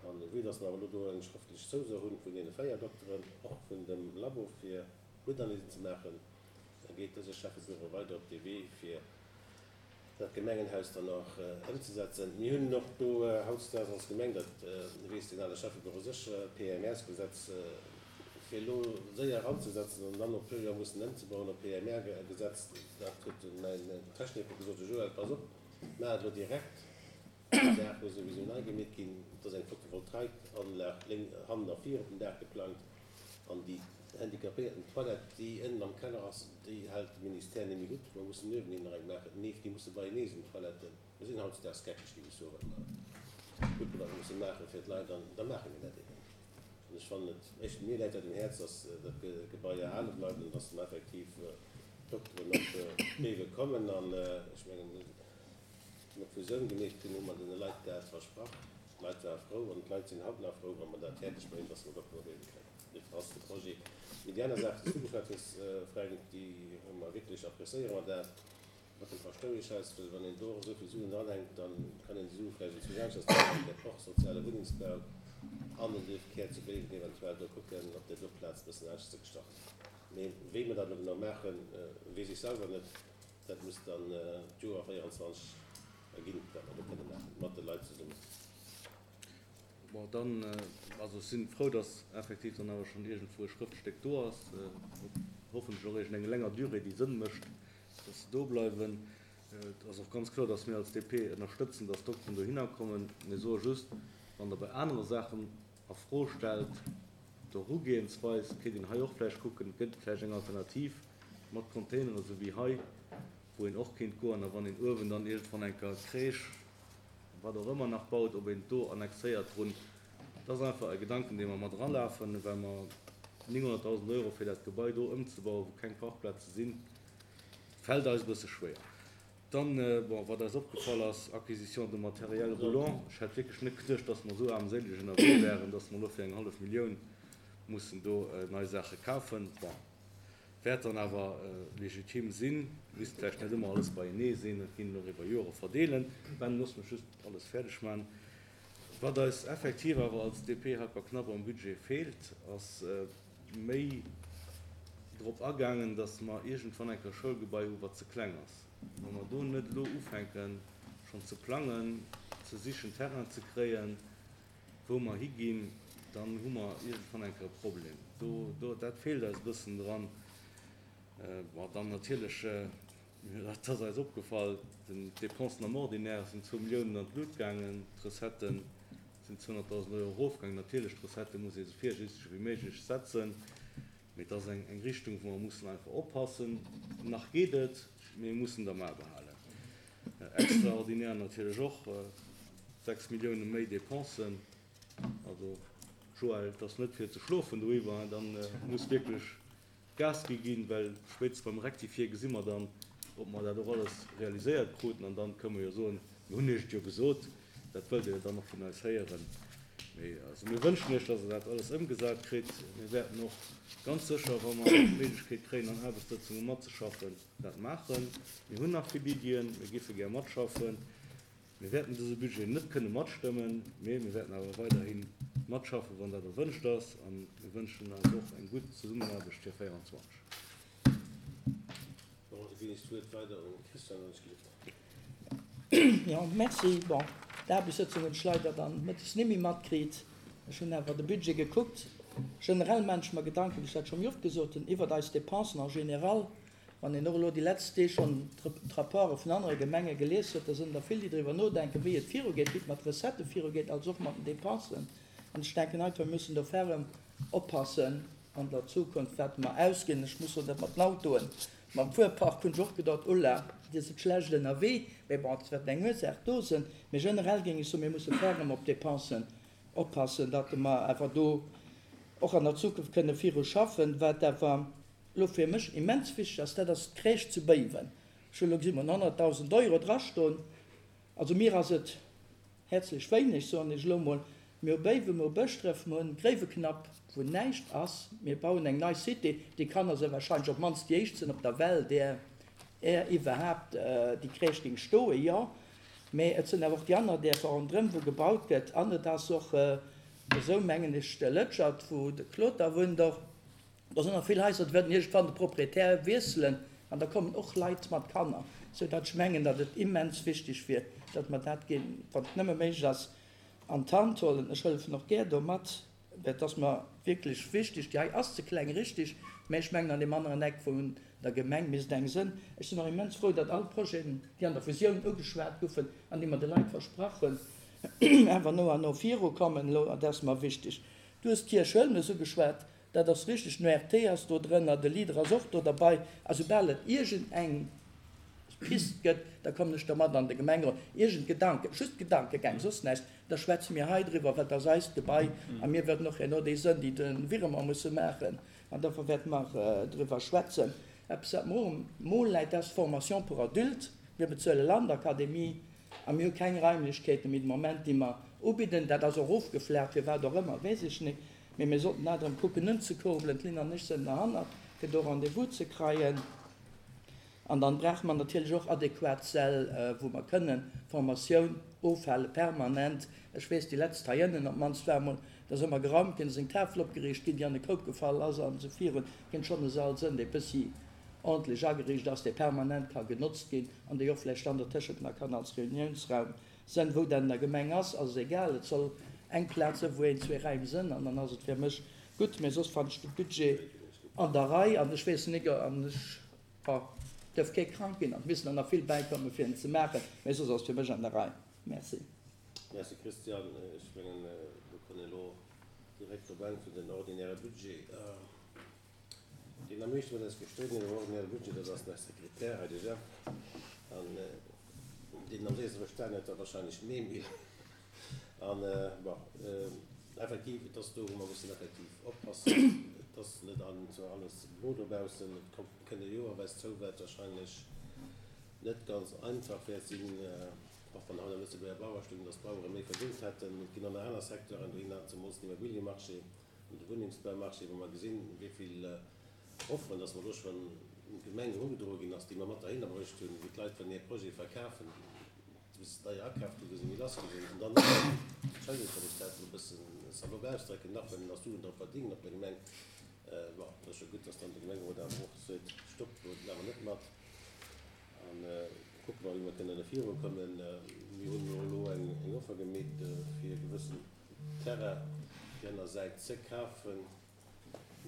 An vue dass mer awer elo do eng schrëftlech Zouso hunn vun deene 4 Dokteren, och vun dem Labo fir Bluttanalysen ze maachen, da geet dëse Schäffebüro weider op dee Wee, fir dat Gemengenhaus dann och ëmzesetzen. Mir hunn och do hautdesdaags als Gemeng, dat weess den ale Schäffebüro sécher, d'PMR-Gesetz fir elo séier eranzesetzen an dann no e puer Joer mussen ëmzebauen op PMR-Gesetz. Dat huet mäin Techniker gesot, de Joël, pass op, maach et elo direkt, déi Saach muss souwisou nei gemeet ginn. Et ass eng Photovoltaikanlag lénk hannen a vir op dem Daach geplangt an déi handicapéierten Toilette, déi ënnen am Keller ass, déi hält de Ministère net méi gutt. Mer mussen uewenhin nach eng maachen. Neef, déi musse beienee sinn, d'Toiletten. Mir sinn hautdesdaags geckeg, géif ech soen, wat mer gutt wat mer musse maache fir d'Leit an da maache mir dat eben. An ech fannen et echt, mir läit dat um Häerz, dass dat Gebai erhale bleift an dass dann effektiv d'Dokteren op d'Bewe kommen an ech mengen, Wéi mer d'Fusioun gemeet hunn, hu mer deene Leit dat versprach. D'Leit ware frou an d'Leit sinn haut nach frou, wa mer dat fäerdeg bréngen, dass mer Dokteren op Béiwe kréien. Dofir ass de Projet. Mee déi aner Saach, déi s du geschwat hues, Fränk, déi hu mer wierklech, appréciéiere mer dat mat dem Paschtoueschhaus, well wann een do esou vill Suen dranhänkt, da kann een déi Sue vläicht enzwousch aneschters dranhänken, dat och soziale Wunnengsbau an den Duerfkär zu Béiwen eventuell do kucken, op där do Plaz e bëssen anescht ze gestalten. Mee wéi mer dat elo genau maachen, weess ech selwer net. Dat muss dann d'Joer 24 erginn, wat mer do kënne maachen, mat de Leit zesummen. Bon, dann, also ech si frou, dass effektiv dann awer schonn iergendwou e Schrëftstéck do ass, op hoffentlech och iergendeng länger Durée, déi Sënn mécht, dass se do bleiwen. Et ass och ganz kloer, dass mir als DP ënnerstëtzen, dass d'Dokteren dohinner kommen. Mir soe just, wann Der bei anere Saachen a Fro stellt, d'Erugehensweis, kéint een hei och vläicht kucken, gëtt et vläicht eng Alternativ mat Containeren, esou wéi hei, wou een och kéint goen. A wann een uewen dann iergendwann eng Kéier d'Crèche. wat och ëmmer nach baut, ob een do annexéiert drun. Dat ass einfach e Gedanken, dee mer mat eralafen, well mer 900.000 Euro fir dat Gebai do ëmzebauen, wou keng Parkplaze sinn, fält eis e bësse schwéier. Dann, bon, wat eis opgefall ass, Acquisition de matériel roulant. Ech hätt wierklech net geduecht, dass mer esou aarmséileg ënnerwee wären, dass mer elo fir eng hallef Millioun mussen do nei Saache kafen. Bon, wäert dann awer legitim sinn. Misst vläicht net ëmmer alles beienee sinn, et ginn och iwwer Jore verdeelen. Ben, looss mech just alles fäerdeg maachen. Wat eis effektiv awer als DP Helperknapp am Budget feelt, ass méi drop agaangen, datt mer iergendwann eng Kéier e Schoulgebai hu wat ze kleng ass. Wa mer do net elo ufänken, schonn ze plangen, ze sichen, Terrain ze kréien, wou mer higinn, dann hu mer iergendwann eng Kéier e Problem. Do, do, dat feelt eis e bëssen dran. Bon, dann natierlech, dat ass eis opgefall, den, d'Dépensen am Ordinaire sinn zwou Milliounen an d'Lut gaangen, d'Recetten sinn 200.000 Euro erofgaangen. Natierlech, d'Recettë muss ee sou virsiichteg wéi méiglech setzen, mee et ass eng, eng Richtung, wou mer mussen einfach oppassen. Nach geet et, mee mir mussen et am A behalen. Extraordinaire natierlech och, 6 Millioune méi Dépensen. Also, Joël, et ass net fir ze schlofen doiwwer, dann muss wierklech Gas gi ginn, well spéitstens beim Rectifier gesi mer dann, ob mer dat och alles realiséiert kruten. An dann kënnen mer jo soen, mir hunn Iech et jo gesot. Dat wëllt Dir jo dann och vun eis héieren. Mee also mir wënschen Iech, dass Der dat alles ëmgesat kritt. Mir wäerten och ganz sécher, wa mer d'Méiglechkeet kréien, an Aarbechtssëtzunge matzeschaffen, dat maachen. Mir hunn nach vill Iddien, mir géife gär matschaffen. Mir wäerten dëse Budget net kënne matstëmmen, mee mir wäerten awer weiderhi matschaffen, wann dat erwënscht ass. A mir wënschen eis och eng gutt Zesummenaarbecht fir 24. Bon, da ginn ech d'Wuert weider un d'Christiane Hanschke. Jo, merci. Bon, d'Aarbechtssëtzung hunn ech leider dann mëttes nimmi matkritt. Ech hunn awer de Budget gekuckt. Generell maan ech mer Gedanken, wéi ech dat scho méi oft gesot hunn, iwwert eis Dépensen en général. Wann een och elo déi letzt Deeg schonn d'Rapporte vun anere Gemenge gelies huet, da sënn der vill, déi driwwer nodenken, wéi et virugeet, wéi et mat Recettë virugeet, als och mat den Dépensen. An ech denken einfach, mir mussen do ferrem oppassen an der Zukunft, wat mer ausginn. Ech muss soen, dat mat den Autoen, mam Fuerpark hunn ech och gedacht, Ulla, Dir sidd schlecht ënnerwee. Mee bon, et wäert eng Ursaach do sënn. Mee generell géing ech soen, mir musse ferrem op d'Dépensen oppassen, datt mer awer do och an der Zukunft kënne viru schaffen. Wat awer elo fir mech immens wichteg ass, dat ass d'Crèche zu Béiwen. Ech hunn elo gesinn, wou 100.000 Euro drastoen. Also mir ass et häerzlech wéineg, soen ech elo mol. Mir hu Béiwen, mir hu Bëschdref, mir hunn Gréiweknapp, wou näischt ass. Mir bauen eng nei Cité, déi Kanner se wahrscheinlech op d'mannst déi éischt sinn op der Welt, där är iwwerhaapt déi Crèche géing stoen, jo. Mä et sinn awer och déi aner Dierfer ronderëm, wou gebaut gëtt. An et ass och esou, mengen ech, de Lëtschert, wou de Claude da wunnt och, Do sinn nach vill Haiser, déi wäerten iergendwann de Proprietär wiesselen an da kommen och Leit mat Kanner, sou datt ech mengen, datt et immens wichteg wier, datt mer dat ginn, wann et nëmme méiglech ass, an d'Hand huelen. Ech hëllefen och gär do mat, well et ass mer wierklech wichteg. Déi hei ass ze kleng, richtig, mä ech mengen, an deem aneren Eck vun der Gemeng misst eng sënn. Ech sinn och immens frou, datt all d'Projeten, déi an der Fusioun ugeschwat goufen an déi mer de Leit versprach hunn, awer no an no virukommen elo. Dat ass mer wichteg. Du hues d'Kierch Huelmes ugeschwat. Dat ass richteg, den ORT ass do drënner, de Leader ass och do derbei. A soubal et iergend eng Pist gëtt, da kommen ech dermat an de Gemengerot. Iergend Gedanken, just Gedankegäng, soss näischt, da schwätze mir hei driwwer, well et ass eist Gebai a mir wërden och herno déi sënn, déi de Virement musse maachen. An dofir wäerte mer driwwer schwätzen. Eppes, wat mer och um Mo läit, dat ass d'Formation pour adultes. Mir bezuele Landakademie a mir hu keng Raimlechkeete méi de Moment, déi mer ubidden. Dat ass och ofgeflacht, firwat och ëmmer, weess ech net. Mee mir sollten dat erëm kucken unzekurbelen. D'Lynn an ech sënn derhannert, fir do Rendez-vous ze kreien. An dann brauche mer natierlech och adequat Säll, wou mer kënnen Formatioun ofhale permanent. Ech weess, déi letzt hei ënnen op d'mannst war emol, da ass ëmmer geraumt ginn, ass eng Tafel opgeriicht ginn, déi an e Koup gefall ass an esou virun. Kéint schonn e Sall sënn, dee bëssi ordentlech ageriicht ass, dee permanent ka genotzt ginn an dee och vläicht dann dertëschent nach kann als Reuniounsraum Sënn. Wou dat an der Gemeng ass, ass egal. Et soll eng Plaz sënn, wou een, zwee Räim sënn, an dann ass et fir mech gutt. Mee soss fannen ech de Budget an der Rei an ech weess nik, an ech, bon, duerf kee krank ginn an et missten der nach vill bäikommen, fir en ze maachen, mee soss ass et fir mech an der Rei. Merci. Merci Christian. Ech mengen, mir kënnen elo direkt op Enn vun den ordinäre Budget. Deen am meeschte mat eis gestridden huet am ordinäre Budget, dat ass den Här Sekretär hei, de Jeff. An. Deen am séierste verstan huet, war wahrscheinlech den Emil. An, bon, effektiv, et ass do, wou mer mussen effektiv oppassen. Et ass net an zwar alles blo dobaussen. Et kommt, kënnt e Joer op eis zou, wat wahrscheinlech net ganz einfach wäert sinn, och wann haut am Lëtzebuerger Bauer stoung, dass d'Bauere méi verdéngt hätten. Et ginn och nach aner Secteuren dohinner, zemools den Immobiliemarché an de Wunnengsbaumarché, wou mer gesinn, wéi vill Offeren, dass mer do schonn un d'Gemeng erugedroe ginn ass, déi mer mat derhinner bruecht hunn, wou d'Leit wëllen hir Projete verkafen, bis se deier akaaft hunn, wou se méi lass gi sinn. An dann nach, Entschëllegt, wann ech dat elo e bëssen salopp ausdrécken, nach wëllen nach Suen drop verdingen op der Gemeng. Bon, et ass jo gutt, dass dann de Gemengerot awer och seet, Stopp, do maache mer net mat. A kucke mer, wéi mer kënnen virukommen. Mir hunn jo elo eng Offer gemeet, fir e gewëssen Terrain op déi aner Säit ze kafen.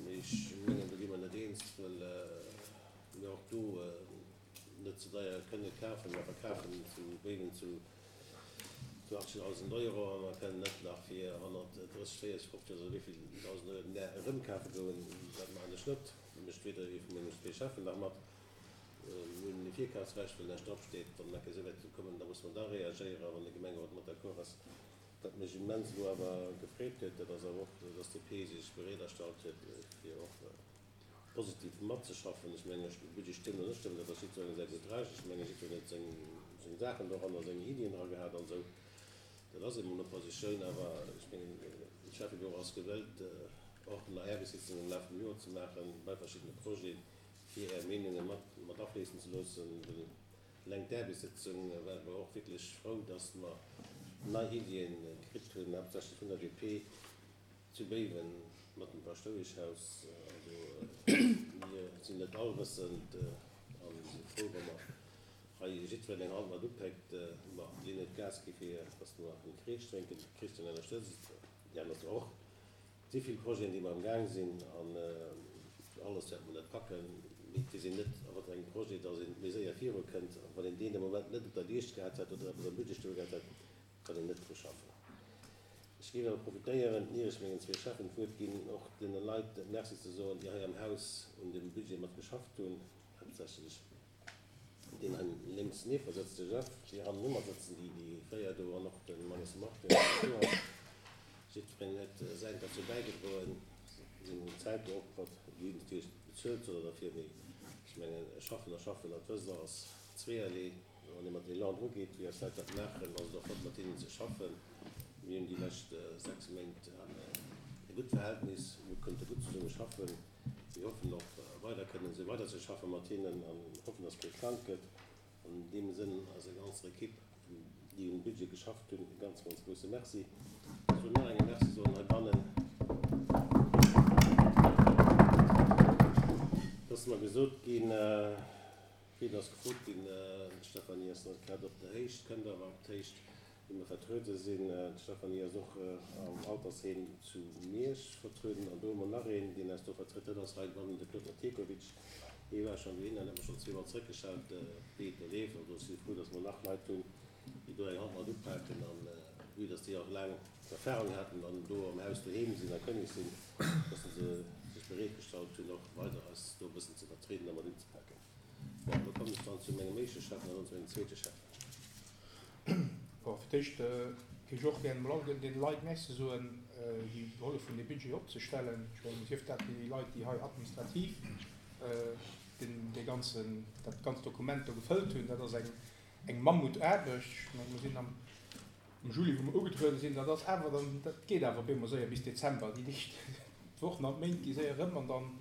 Mee ech mengen, do gi mer net eens, well mir och do net ze deier kënne kafen. Mer verkafen zu Béiwen zu 80.000 Euro a mer kënnen net nach fir 130, 40, 50 oder wéi vill 1.000 Euro den Där erëmkafe goen. Dat maachen ech net. Dat mécht weder ee vu mengen zwee Cheffen nach mat. Mir hunn e Virkafsrecht, well näischt dropsteet. Wann eng Kéier esou wäert kommen, da musse mer da reagéieren, wann de Gemengerot mat d'accord ass. Wat mech immens elo awer gefreet huet, dat ass awer och, dass d'DP sech bereet erstallt huet, fir och positiv matzeschaffen. Ech mengen, de Budget stëmmen oder net stëmmen, dat ass jiddwerengem säi gutt Recht. Ech mengen, jiddwereen huet seng Saachen doranner, seng Iddien dra gehat an esou. Dat ass eemol Oppositioun. Awer ech mengen, de Schäffebureau ass gewëllt, och nach Aarbechtssitzungen am Laf vum Joer ze maachen bei verschiddene Projeten, fir Är Meenunge mat afléissen ze loossen. Eleng d'Aarbechtssëtzung ware mer och wierklech frou, dass mer nei Iddien kritt hunn, haaptsächlech vun der DP zu Béiwen mat dem Paschtoueschhaus. Also mir sinn net allwëssend a si frou, wa mer hei jiddwereen eng Hand mat upéckt. Ma d'Lynn huet Gas gi fir dass mer en Kreesch drénken. D'Christine ënnerstëtzt et, déi aner zwar och. Et si vill Projeten, déi mer am Gaang sinn, an alles wäerte mer net packen. Mee et weess een net, a wat fir engem Projet dass ee méi séier virukënnt. A wann een deen de Moment net op der Liicht gehat hätt oder eppes am Budget stoe gehat hätt, kann een net dru schaffen. Ech géif awer profitéieren, ier ech mengen zwee Cheffen d'Wuert ginn, och deene Leit Merci ze soen, déi hei am Haus un deem Budget mat geschafft hunn, haaptsächlech Deen hei lénks nieft mer sëtzt, de Jeff, déi hannen u mer sëtzen, déi déi véier do, an och de Mannes Martin, deen do ass. Jiddwereen huet säint derzou bäigedroen, seng Zäit geopfert. Déi hunn natierlech bezuelt oder derfir, mee ech mengen, schaffen a schaffen, dat wësst Der, ass zweeërlee. Wann ee mat Elan drugeet, wéi eis Leit dat maachen, ass et och flott, mat hinnen ze schaffen. Mir hunn déi lescht 6 Méint e gutt Verhältnis, mir konnte gutt zesumme schaffen. Mir hoffen och weider kënnen esou weider ze schaffe mat hinnen an hoffen, dass kee krank gëtt. An deem Sënn eiser ganzer Equipe, déi um Budget geschafft hunn, e ganz, ganz grousse Merci. Ech wëll nach engem Merci soen heibannen, et ass mer gesot ginn, wéi et ass gefrot ginn, d'Stéphanie ass net grad op der Héicht, kënnt awer op d'Héicht, wéi mer vertruede sinn. D'Stéphanie ass och am Altersheem zu Miersch vertrueden. An do hu mer nach een, deen eis do vertrëtt, dat ass heibannen de Claude Mathejkovic. Hie war schonn dohinner an huet mer schonn zweemol zréckgeschalt, wéi et do leeft. Also ech si frou, datt mer nach Leit hunn, déi do eng Hand mat upaken. An vue datt déi och laang Erfahrung haten an do am Haus doheem sinn a kënneg sinn, datt se sech bereet gestallt hunn, och weider eis do e bëssen ze vertrieden a mat unzepaken. Bon, elo kommen ech dann zu mengem éischte Schäffen an dann zu mengem zweete Schäffen. Bon, fir d'éischt géif ech och gären emol all deene Leit Merci soen, déi gehollef hunn, dee Budget opzestellen. Ech mengen, sief dat déi Leit, déi hei administrativ deen, dee ganzen, dat ganzt Dokument do gefëllt hunn. Dat ass eng, eng Mammutaarbecht. Ech mengen, mir sinn am, am Juli, wou mer ugetruede sinn. Dat ass awer dann, dat geet awer op eemol séier bis Dezember. Déi Deeg, d'Wochen an d'Méint gi séier erëm an dann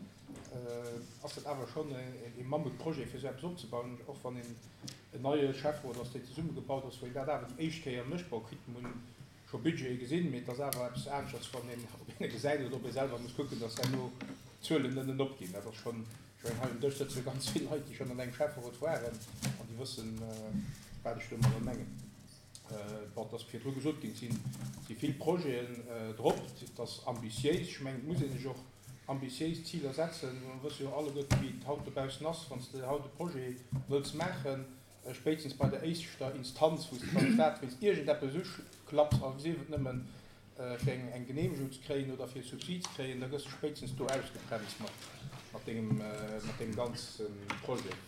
ass dat awer schonn e Mammutprojet, fir esou eppes opzebauen, och wann een en neie Schäfferot ass, deen zesummegebaut ass, wou een dat awer déi éischt Kéier mécht. Bon, quitte mer hunn scho Budgete gesinn, mee et ass awer eppes aneschters, wann een op een e gesäit oder ob ee selwer muss kucken, dass herno d'Zuelen nënnen opginn. Dat ass schonn, ech mengen, hei um Dësch sëtze ganz vill Leit, déi schonn an engem Schäfferot waren an déi wëssen, wat ech domadder mengen. Bon, et ass virdru gesot ginn, et si vill Projeten drop, et ass ambitiéis. Ech mengen, et muss ee sech och ambitiéis Ziler setzen. Mer wësse jo alleguerten, wéi et haut dobaussen ass, wann s de haut e Projet wëlls maachen, spéitstens bei der éischter Instanz, wou s de beim Staat wéinst iergendeppes uklapps, a sief et nëmmen fir eng Geneemegung ze kréien oder fir e Subsid ze kréien, da gëss de spéitstens do ausgebremst mat dengem ganze Projet.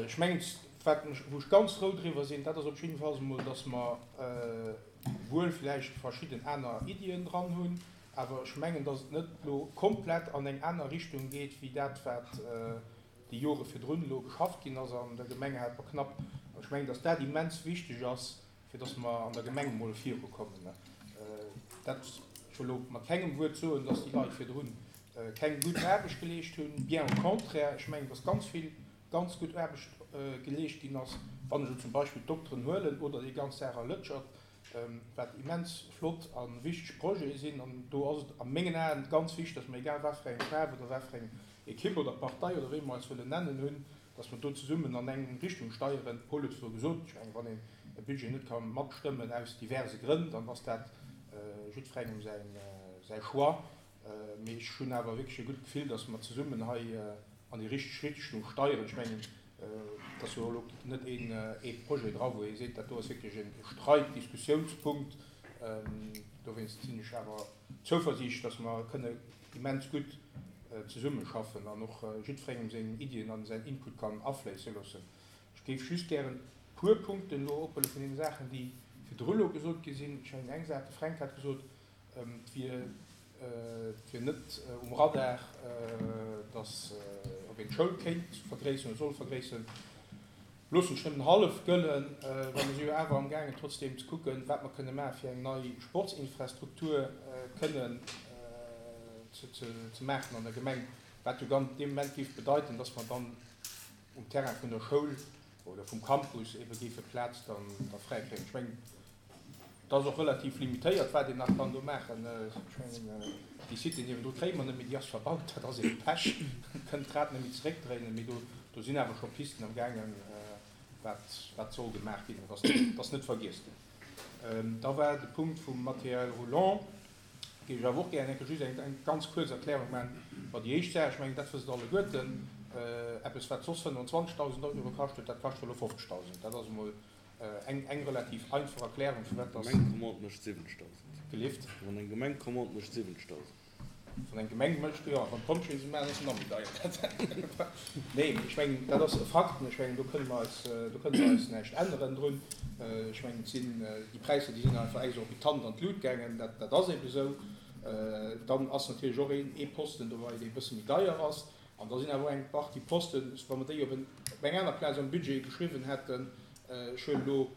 Ech mengen. Wat mech, wou ech ganz frou driwwer sinn, dat ass op jiddefalls emol, dass mer wuel vläicht verschidden aner Iddien dran hunn, awer ech mengen, dass et net elo komplett an eng aner Richtung geet wéi dat, wat déi Jore virdrun elo geschafft ginn ass an der Gemeng Helperknapp. An ech mengen, dass dat immens wichteg ass, fir dass mer an der Gemeng emol virukommen. Dat, ech wëll elo mat kengem Wuert soen, dass déi Leit virdrun keng gutt Aarbecht geleescht hunn, bien au contraire, ech mengen, dass ganz vill ganz gutt Aarbecht geleescht ginn ass, wann ech elo zum Beispill d'Dokteren huelen oder déi ganz Saach a Lëtschert, wat immens flott a wichteg Projete sinn. An do ass et a mengen Aen ganz wichteg, dass mer, egal wat fir eng Faarf oder wat fir eng Ekipp oder Partei oder wéi mer eis wëllen nennen hunn, dass mer do zesummen an eng Richtung steieren. D'Paul huet virdru gesot, ech mengen, wann een e Budget net ka matstëmmen aus diverse Grënn, dann ass dat jiddwerengem säi Choix. Mee ech hunn awer wierklech e gutt Gefill, dass mer zesummen hei an déi richteg Richtung steieren. Ech mengen, et ass jo elo net een ee Projet dra, wou ee seet, dat do ass wierklech e Streit-, Diskussiounspunkt. Dowéinst sinn ech awer zouversiichtlech, dass mer kënne immens gutt zesummeschaffen an och jiddwerengem seng Iddien an säin Input kann afléisse loossen. Ech géif just gären e puer Punkten elo ophuele vun deene Saachen, déi virdru elo gesot gi sinn. Ech mengen, eng Saach, de Fränk hat gesot, Et wier net um Radar, datt ob een d'Schoul kéint vergréisseren oder soll vergréisseren. Loossen ech nëmmen hallef gëllen, well mer si jo awer amgaangen trotzdeem ze kucken, wat mer kënne maachen, fir eng nei Sportsinfrastruktur kënnen ze maachen an der Gemeng, wat jo dann dee Moment géif bedeiten, datt mer dann um Terrain vun der Schoul oder vum Campus ebe géife Plaz dann da fräikréien. Ech mengen, Et ass och relativ limitéiert, wat een nach kann do maachen. Ech mengen, déi Cité niewendru kréie mer net méi, déi ass verbaut, dat ass ebe Pech, kënnt d'Rad net méi zeréckdréinen. Mee do, do sinn awer scho Pisten am gaangen, wat, wat soll gemaach ginn. Et ass net, et ass net vergiess ginn. Da war de Punkt vum Matériel roulant, géif ech awer och gären eng Kéier just eng, eng ganz kuerz Erklärung maachen. Bon, déi éischt Saach, ech mengen, dat wësst Der alleguerten, eppes wat soss 25.000 Euro kascht huet, dat kascht elo 50.000. Dat ass emol Eng eng relativ einfach Erklärung firwat dass. Eng Gemeng Commande mécht 70.000. Gelift? Wann eng Gemeng Commande mécht 70.000. Wann eng Gemeng mécht, jo, wann d'Pompjeeë se maachen, ass se nach méi deier. Nee, mee ech mengen, dat ass e Fakt. Ech mengen, do kënne mer eis, do kënne mer eis näischt änneren drun. Ech mengen, et sinn déi Präisser, déi sinn einfach exorbitant an d'Lut gaangen. Dat, dat ass eebe esou. Dann ass natierlech och een ee Posten dobei, dee e bësse méi deier ass. An da sinn awer och eng Partie Posten, wa mer déi op eng aner Plaz am Budget geschriwwen hätten, ech huelen elo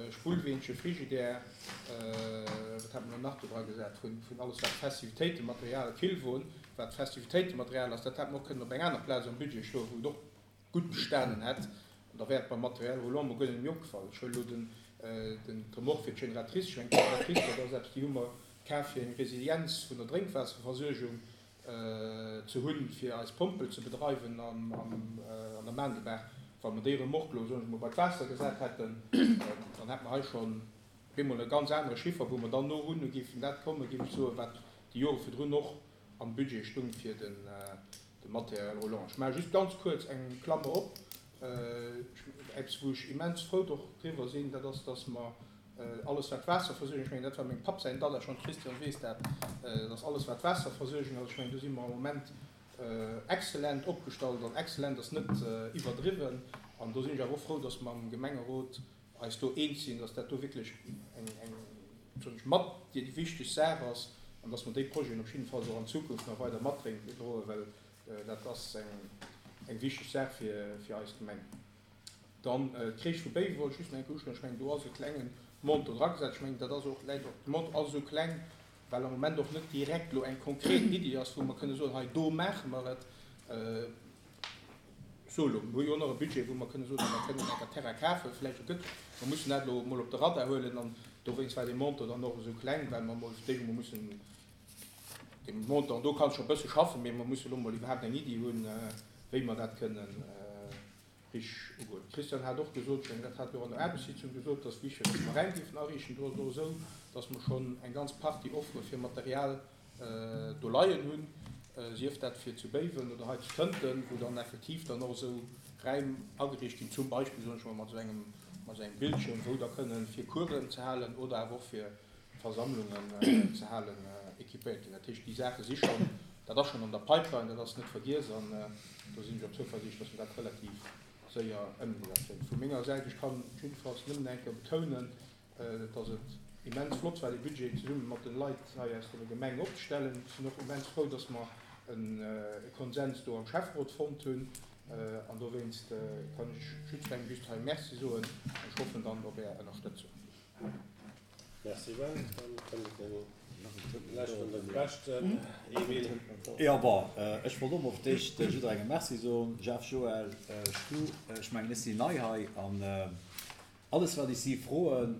Spullweenche, Frigidaire, wat hat mer elo nach do dra gesat, vun alles wat Festivitéitematerial, Killwon, wat Festivitéitematerial ass, dat hätt mer och kënnen op eng aner Plaz am Budget schloen, wou et och gutt gestanen hätt. An da wär et beim Material roulant mol guer net méi opgefall. Ech huelen elo den d'Remorque fir d'Generatrice, ech mengen d'Generatrice, dat ass eppes, déi hu mer kaf fir eng Resilienz vun der Drénkwaasserversuergung ze hunn, fir eis Pompel ze bedreiwen an der Maandebaach. Wa mer déi Remorque elo, soen ech mol, bei d'Waasser gesat hätten, dann hätte mer hei schonn op eemol e ganz anere Chiffer, wou mer dann no hunn géifen dat kommen, géif ech soen, wat déi Jore virdrun och am Budget stung fir de Matériel roulant. Ech maache just ganz kuerz eng Klammer op, eppes wou ech immens frou driwwer sinn, dat ass, dass mer Alles wat Waasserversuergung, ech mengen dat war mengem Papp säin Dada schonn, d'Christiane weess dat, dass alles wat Waasserversuergung ass, ech mengen do si mer am Moment exzellent opgestallt an exzellent ass net iwwerdriwwen an do sinn ech awer och frou, dass mer am Gemengerot eis do eens sinn, dass dat do wierklech eng, eng, soen ech, mat déi wichteg Saach ass an dass mer déi Projeten op jiddefalls och an Zukunft nach weider matdroen, well dat ass eng, eng wichteg Saach fir, fir eis Gemeng. Dann d'Crèche vu Béiwen wollt ech just nach eng Kéier uschneiden. Ech mengen, do ass e klengen Montant dragesat. Ech mengen, dat ass och, läit och, de Montant ass esou kleng, well am Moment och net direkt elo eng konkret Iddi ass, wou mer kënne soen, hei do maache mer et. Ech soe elo, mir hu jo och nach e Budget, wou mer kënne soen, mer kënnen enker Terrain kafen, vläicht e gëtt. Mer mussen dat elo emol op de Radar huelen an dowéinst war dee Montant dann och esou kleng, well mer emol fir d'éischt emol mussen dee Montant, do kann ech scho e bësse schaffen, mee mer mussen elo emol iwwerhaapt eng Iddi hunn, wéi mer dat kënnen Richteg ugoen. D'Christiane hat och gesot, ech mengen, dat hat jo och an der Aarbechtssitzung gesot, dass wichteg ass, dass mer Räim géifen ariichten. Do ass et och esou, dass mer schonn eng ganz Partie Offere fir Material do leien hunn, sief dat fir zu Béiwen oder hei zu Tënten, wou dann effektiv dann och esou Räim ageriicht ginn, zum Beispill, soen ech mol, mat esou engem, mat esou engem Bildschirm, wou da kënnen fir Coursen ze halen oder awer och fir Versammlungen ze halen, équipéiert ginn. Dat heescht, déi Saache si schonn, dat ass schonn an der Pipeline, dat ass net vergiess an do sinn ech och zouversiichtlech, dass mer dat relativ. séier ëmgesat kréien. Vu menger Säit, ech kann jiddefalls nëmmen eng Kéier betounen, dass et immens flott war, dee Budget zesumme mat de Leit hei aus der Gemeng opzestellen. Ech sinn och immens frou, dass mer e Konsens do am Schäfferot fonnt hunn. An dowéinst kann ech jiddwerengem just hei Merci soen. An ech hoffen dann op Är Ënnerstëtzung. Merci Ben. Dann kënnt de leschten an de beschten, Emile. Jo, bon, ech wollt och mol fir d'éischt jidderengem Merci soen, Jeff, Joël, Stu. Ech mengen, ech sinn nei hei an Alles wat ech si froen,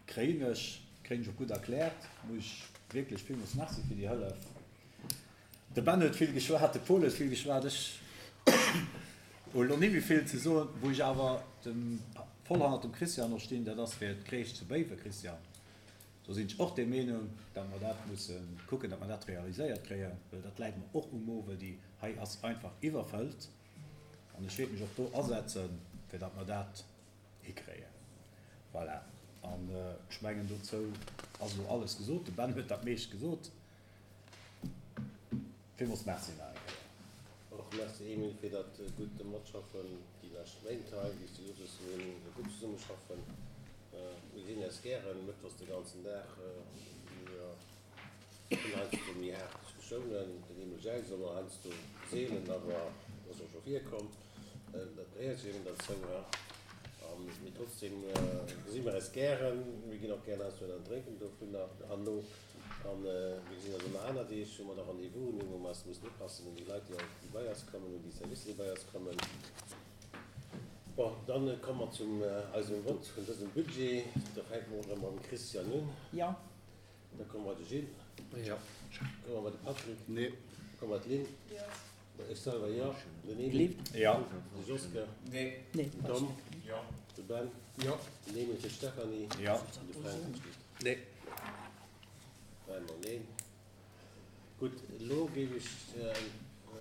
kréien ech, kréien ech och gutt erkläert. Muss ech wierklech villmools Merci fir déi Hëllef. De Ben huet vill geschwat, de Paul huet vill geschwat, ech hu elo ni méi vill ze soen. Wou ech awer dem voll hannert dem Christian och stinn, dat ass fir d'Crèche zu Béiwen. Christian, do sinn ech och der Meenung, datt mer dat musse kucken, datt mer dat realiséiert kréien, well dat läit mer och um Mo, well déi hei ass einfach iwwerfëllt. An ech wäert mech och do asetzen, fir datt mer dat hikréien. Voilà. An ech mengen, dozou ass elo alles gesot. De Ben huet dat meescht gesot. Villmools Merci nach eng Kéier. Och Merci, Emile, fir dat gutt Matschaffen déi lescht Méint hei. Wéi s de gesot hues, mir hunn e gutt Zesummeschaffen. Mir gesinn eis gären mëttwochs de ganzen Dag. Mir Hunn heiansdo méi haart Diskussiounen, den Emile Jeitz och heiansdo seelen, awer ass och scho virkomm, dat gehéiert jo eben derzou. A mee trotzdem gesi mer eis gären, mir ginn och gären heiansdo en drénken dovunner herno a mir gesinn eis ëmmer aner Deeg, wou mer da Rendez-vousen hunn, wou mer eis mussen upassen un déi Leit, déi bei eis kommen, un déi Servicer, déi bei eis kommen. Bon, dann komme mer zum eisem Vott vun dësem Budget. Da fänke mer erëm mam Christian un. Jo. Da komme mer bei de Gilles. Jo. Komme mer bei de Patrick. Nee. Komme mer bei d'Lynn. Jo. Ech selwer jo. Den Emile. Jo. De Joske. Nee. Nee. Den Tom. Jo. De Ben. Jo. Den Emile fir d'Stéphanie. Jo. An de Fränk. Nee. Dräimol neen. Gutt, elo géif ech.